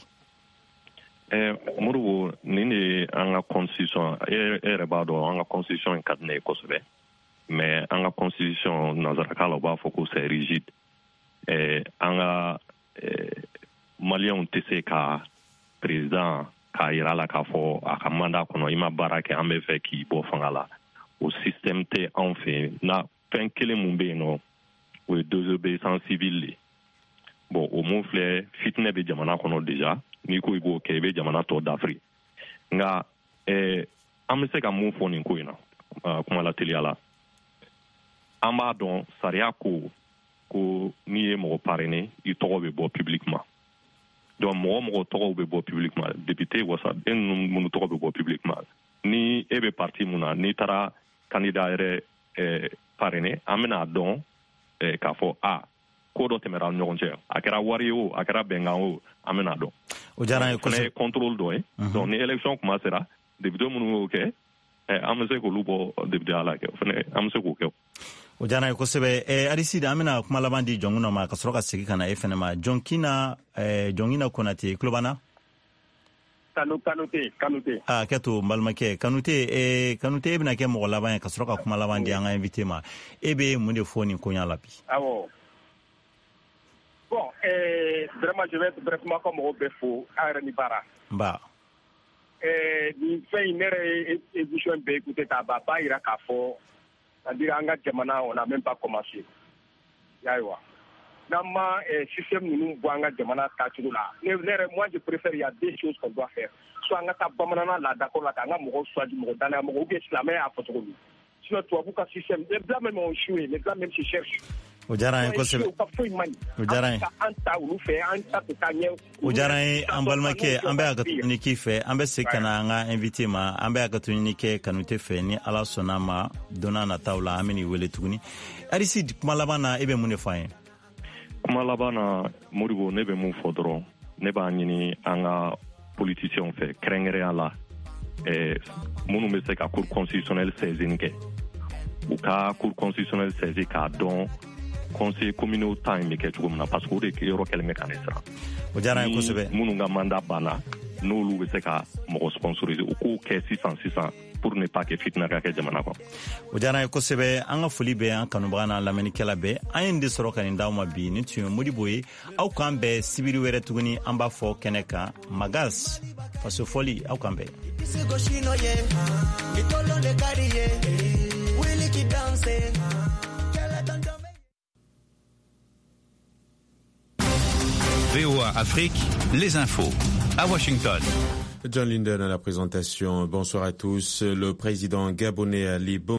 ye? Modibo, nin de ye an ka constitution. E yɛrɛ b'a dɔn, an ka constitution in ka di ne ye kosɛbɛ, mais an ka constitution, nanzarakan la u b'a fɔ ko c'est rigide. An ka maliyɛnw tɛ se ka président k'a yira la k'a fɔ a ka mandat kɔnɔ i ma baara kɛ, an bɛ fɛ k'i bɔ fanga la. O système tɛ anw fɛ yen. Na fɛn kelen mun bɛ yen nɔ, o ye désobéissance civile de. Bon, o mun filɛ, fitinɛ bɛ jamana kɔnɔ déjà. N'i ko i b'o kɛ, i bɛ jamana tɔ dafiri. Nka an bɛ se ka mun fɔ nin ko in na kuma la teliya la? An b'a dɔn sariya ko ko n'i ye mɔgɔ parrainer, i tɔgɔ bɛ bɔ publiquement. Donc mɔgɔ mɔgɔ tɔgɔw bɛ bɔ publiquement, député, wasaden ninnu minnu tɔgɔ bɛ bɔ publiquement, ni e bɛ parti mun na, n'i taara candidat yɛrɛ parrainer, an bɛna dɔn k'a fɔ a ko dɔ tɛmɛra an ɲɔgɔn cɛ, a kɛra wari ye o, a kɛra bɛnkan o, an bɛna dɔn. O diyara an ye. O fana ye contrôle dɔ ye. Donc ni élection kuma sera, député minnu y'o kɛ, an bɛ se k'olu bɔ député la kɛ, o fana an bɛ se k'o kɛ. O diyara an ye kosɛbɛ. Aristide, an bɛna kuma laban di Jɔnkuna ma ka sɔrɔ ka segin ka na e fɛnɛ ma. Jɔnkina, Jɔnkina Konate, i tulo b'an na? Kanute, Kanute. A kɛ to, n balimakɛ Kanute. Kanute, e bɛna kɛ mɔgɔ laban ye ka sɔrɔ ka kuma laban di an ka invité ma. E bɛ mun de fɔ nin koɲa la bi? Awɔ. Bon, vraiment, je vais être bref, ka mɔgɔw bɛɛ fo, aw yɛrɛ ni baara. Nba. Nin fɛn in, ne yɛrɛ ye émission bɛɛ écouté k'a ban, a b'a yira k'a fɔ, c'est-à-dire an ka jamana, on n'a même pas commencé. I y'a ye wa? N'an ma système ninnu bɔ an ka jamana taacogo la, ne yɛrɛ, moi je préfère, il y a deux choses qu'on doit faire: soit an ka taa bamanana laadakɔrɔ la k'an ka mɔgɔw choisi, mɔgɔ danaya mɔgɔ, ou bien silamɛya y'a fɔ cogo min. Sinon tubabu ka système, les blancs même ont échoué, les blancs même se cherchent. O diyara an ye kosɛbɛ. U ka foyi man ɲi. O diyara an ye. An ta olu fɛ, an ta tɛ taa ɲɛ. O diyara an ye, an balimakɛ. An bɛ hakɛto ɲini k'i fɛ, an bɛ segin ka na an ka invité ma. An bɛ hakɛto ɲini kɛ Kanute fɛ. Ni Ala sɔnna ma, don n'a nataw la, an bɛ n'i wele tuguni. Aristide, kuma laban na, e bɛ mun de fɔ an ye? Kuma laban na, Modibo, ne bɛ mun fɔ dɔrɔn, ne b'a ɲini an ka politiciens fɛ, kɛrɛnkɛrɛnya la minnu bɛ se ka cour constitutionnelle saisine kɛ, u ka cour constitutionnelle saisi k'a dɔn conseil communaux ta in bɛ kɛ cogo min na, parce que o de yɔrɔ kɛlen bɛ ka ne siran. O diyara an ye kosɛbɛ. Minnu ka mandat banna, n'olu bɛ se ka mɔgɔ sponsoriser, u k'o kɛ sisan sisan pour ne pas que fitina ka kɛ jamana kɔnɔ. O diyara an ye kosɛbɛ. An ka foli bɛ an kanubaga n'an lamɛnnikɛla bɛɛ. An ye nin de sɔrɔ ka nin d'aw ma bi. Nin tun ye Modibo ye. Aw k'an bɛn sibiri wɛrɛ tuguni, an b'a fɔ kɛnɛ kan, Magas Faso Fɔli. Aw k'an bɛn. VOA Afrique, les infos. À Washington. John Linden à la présentation. Bonsoir à tous. Le président gabonais Ali Bongo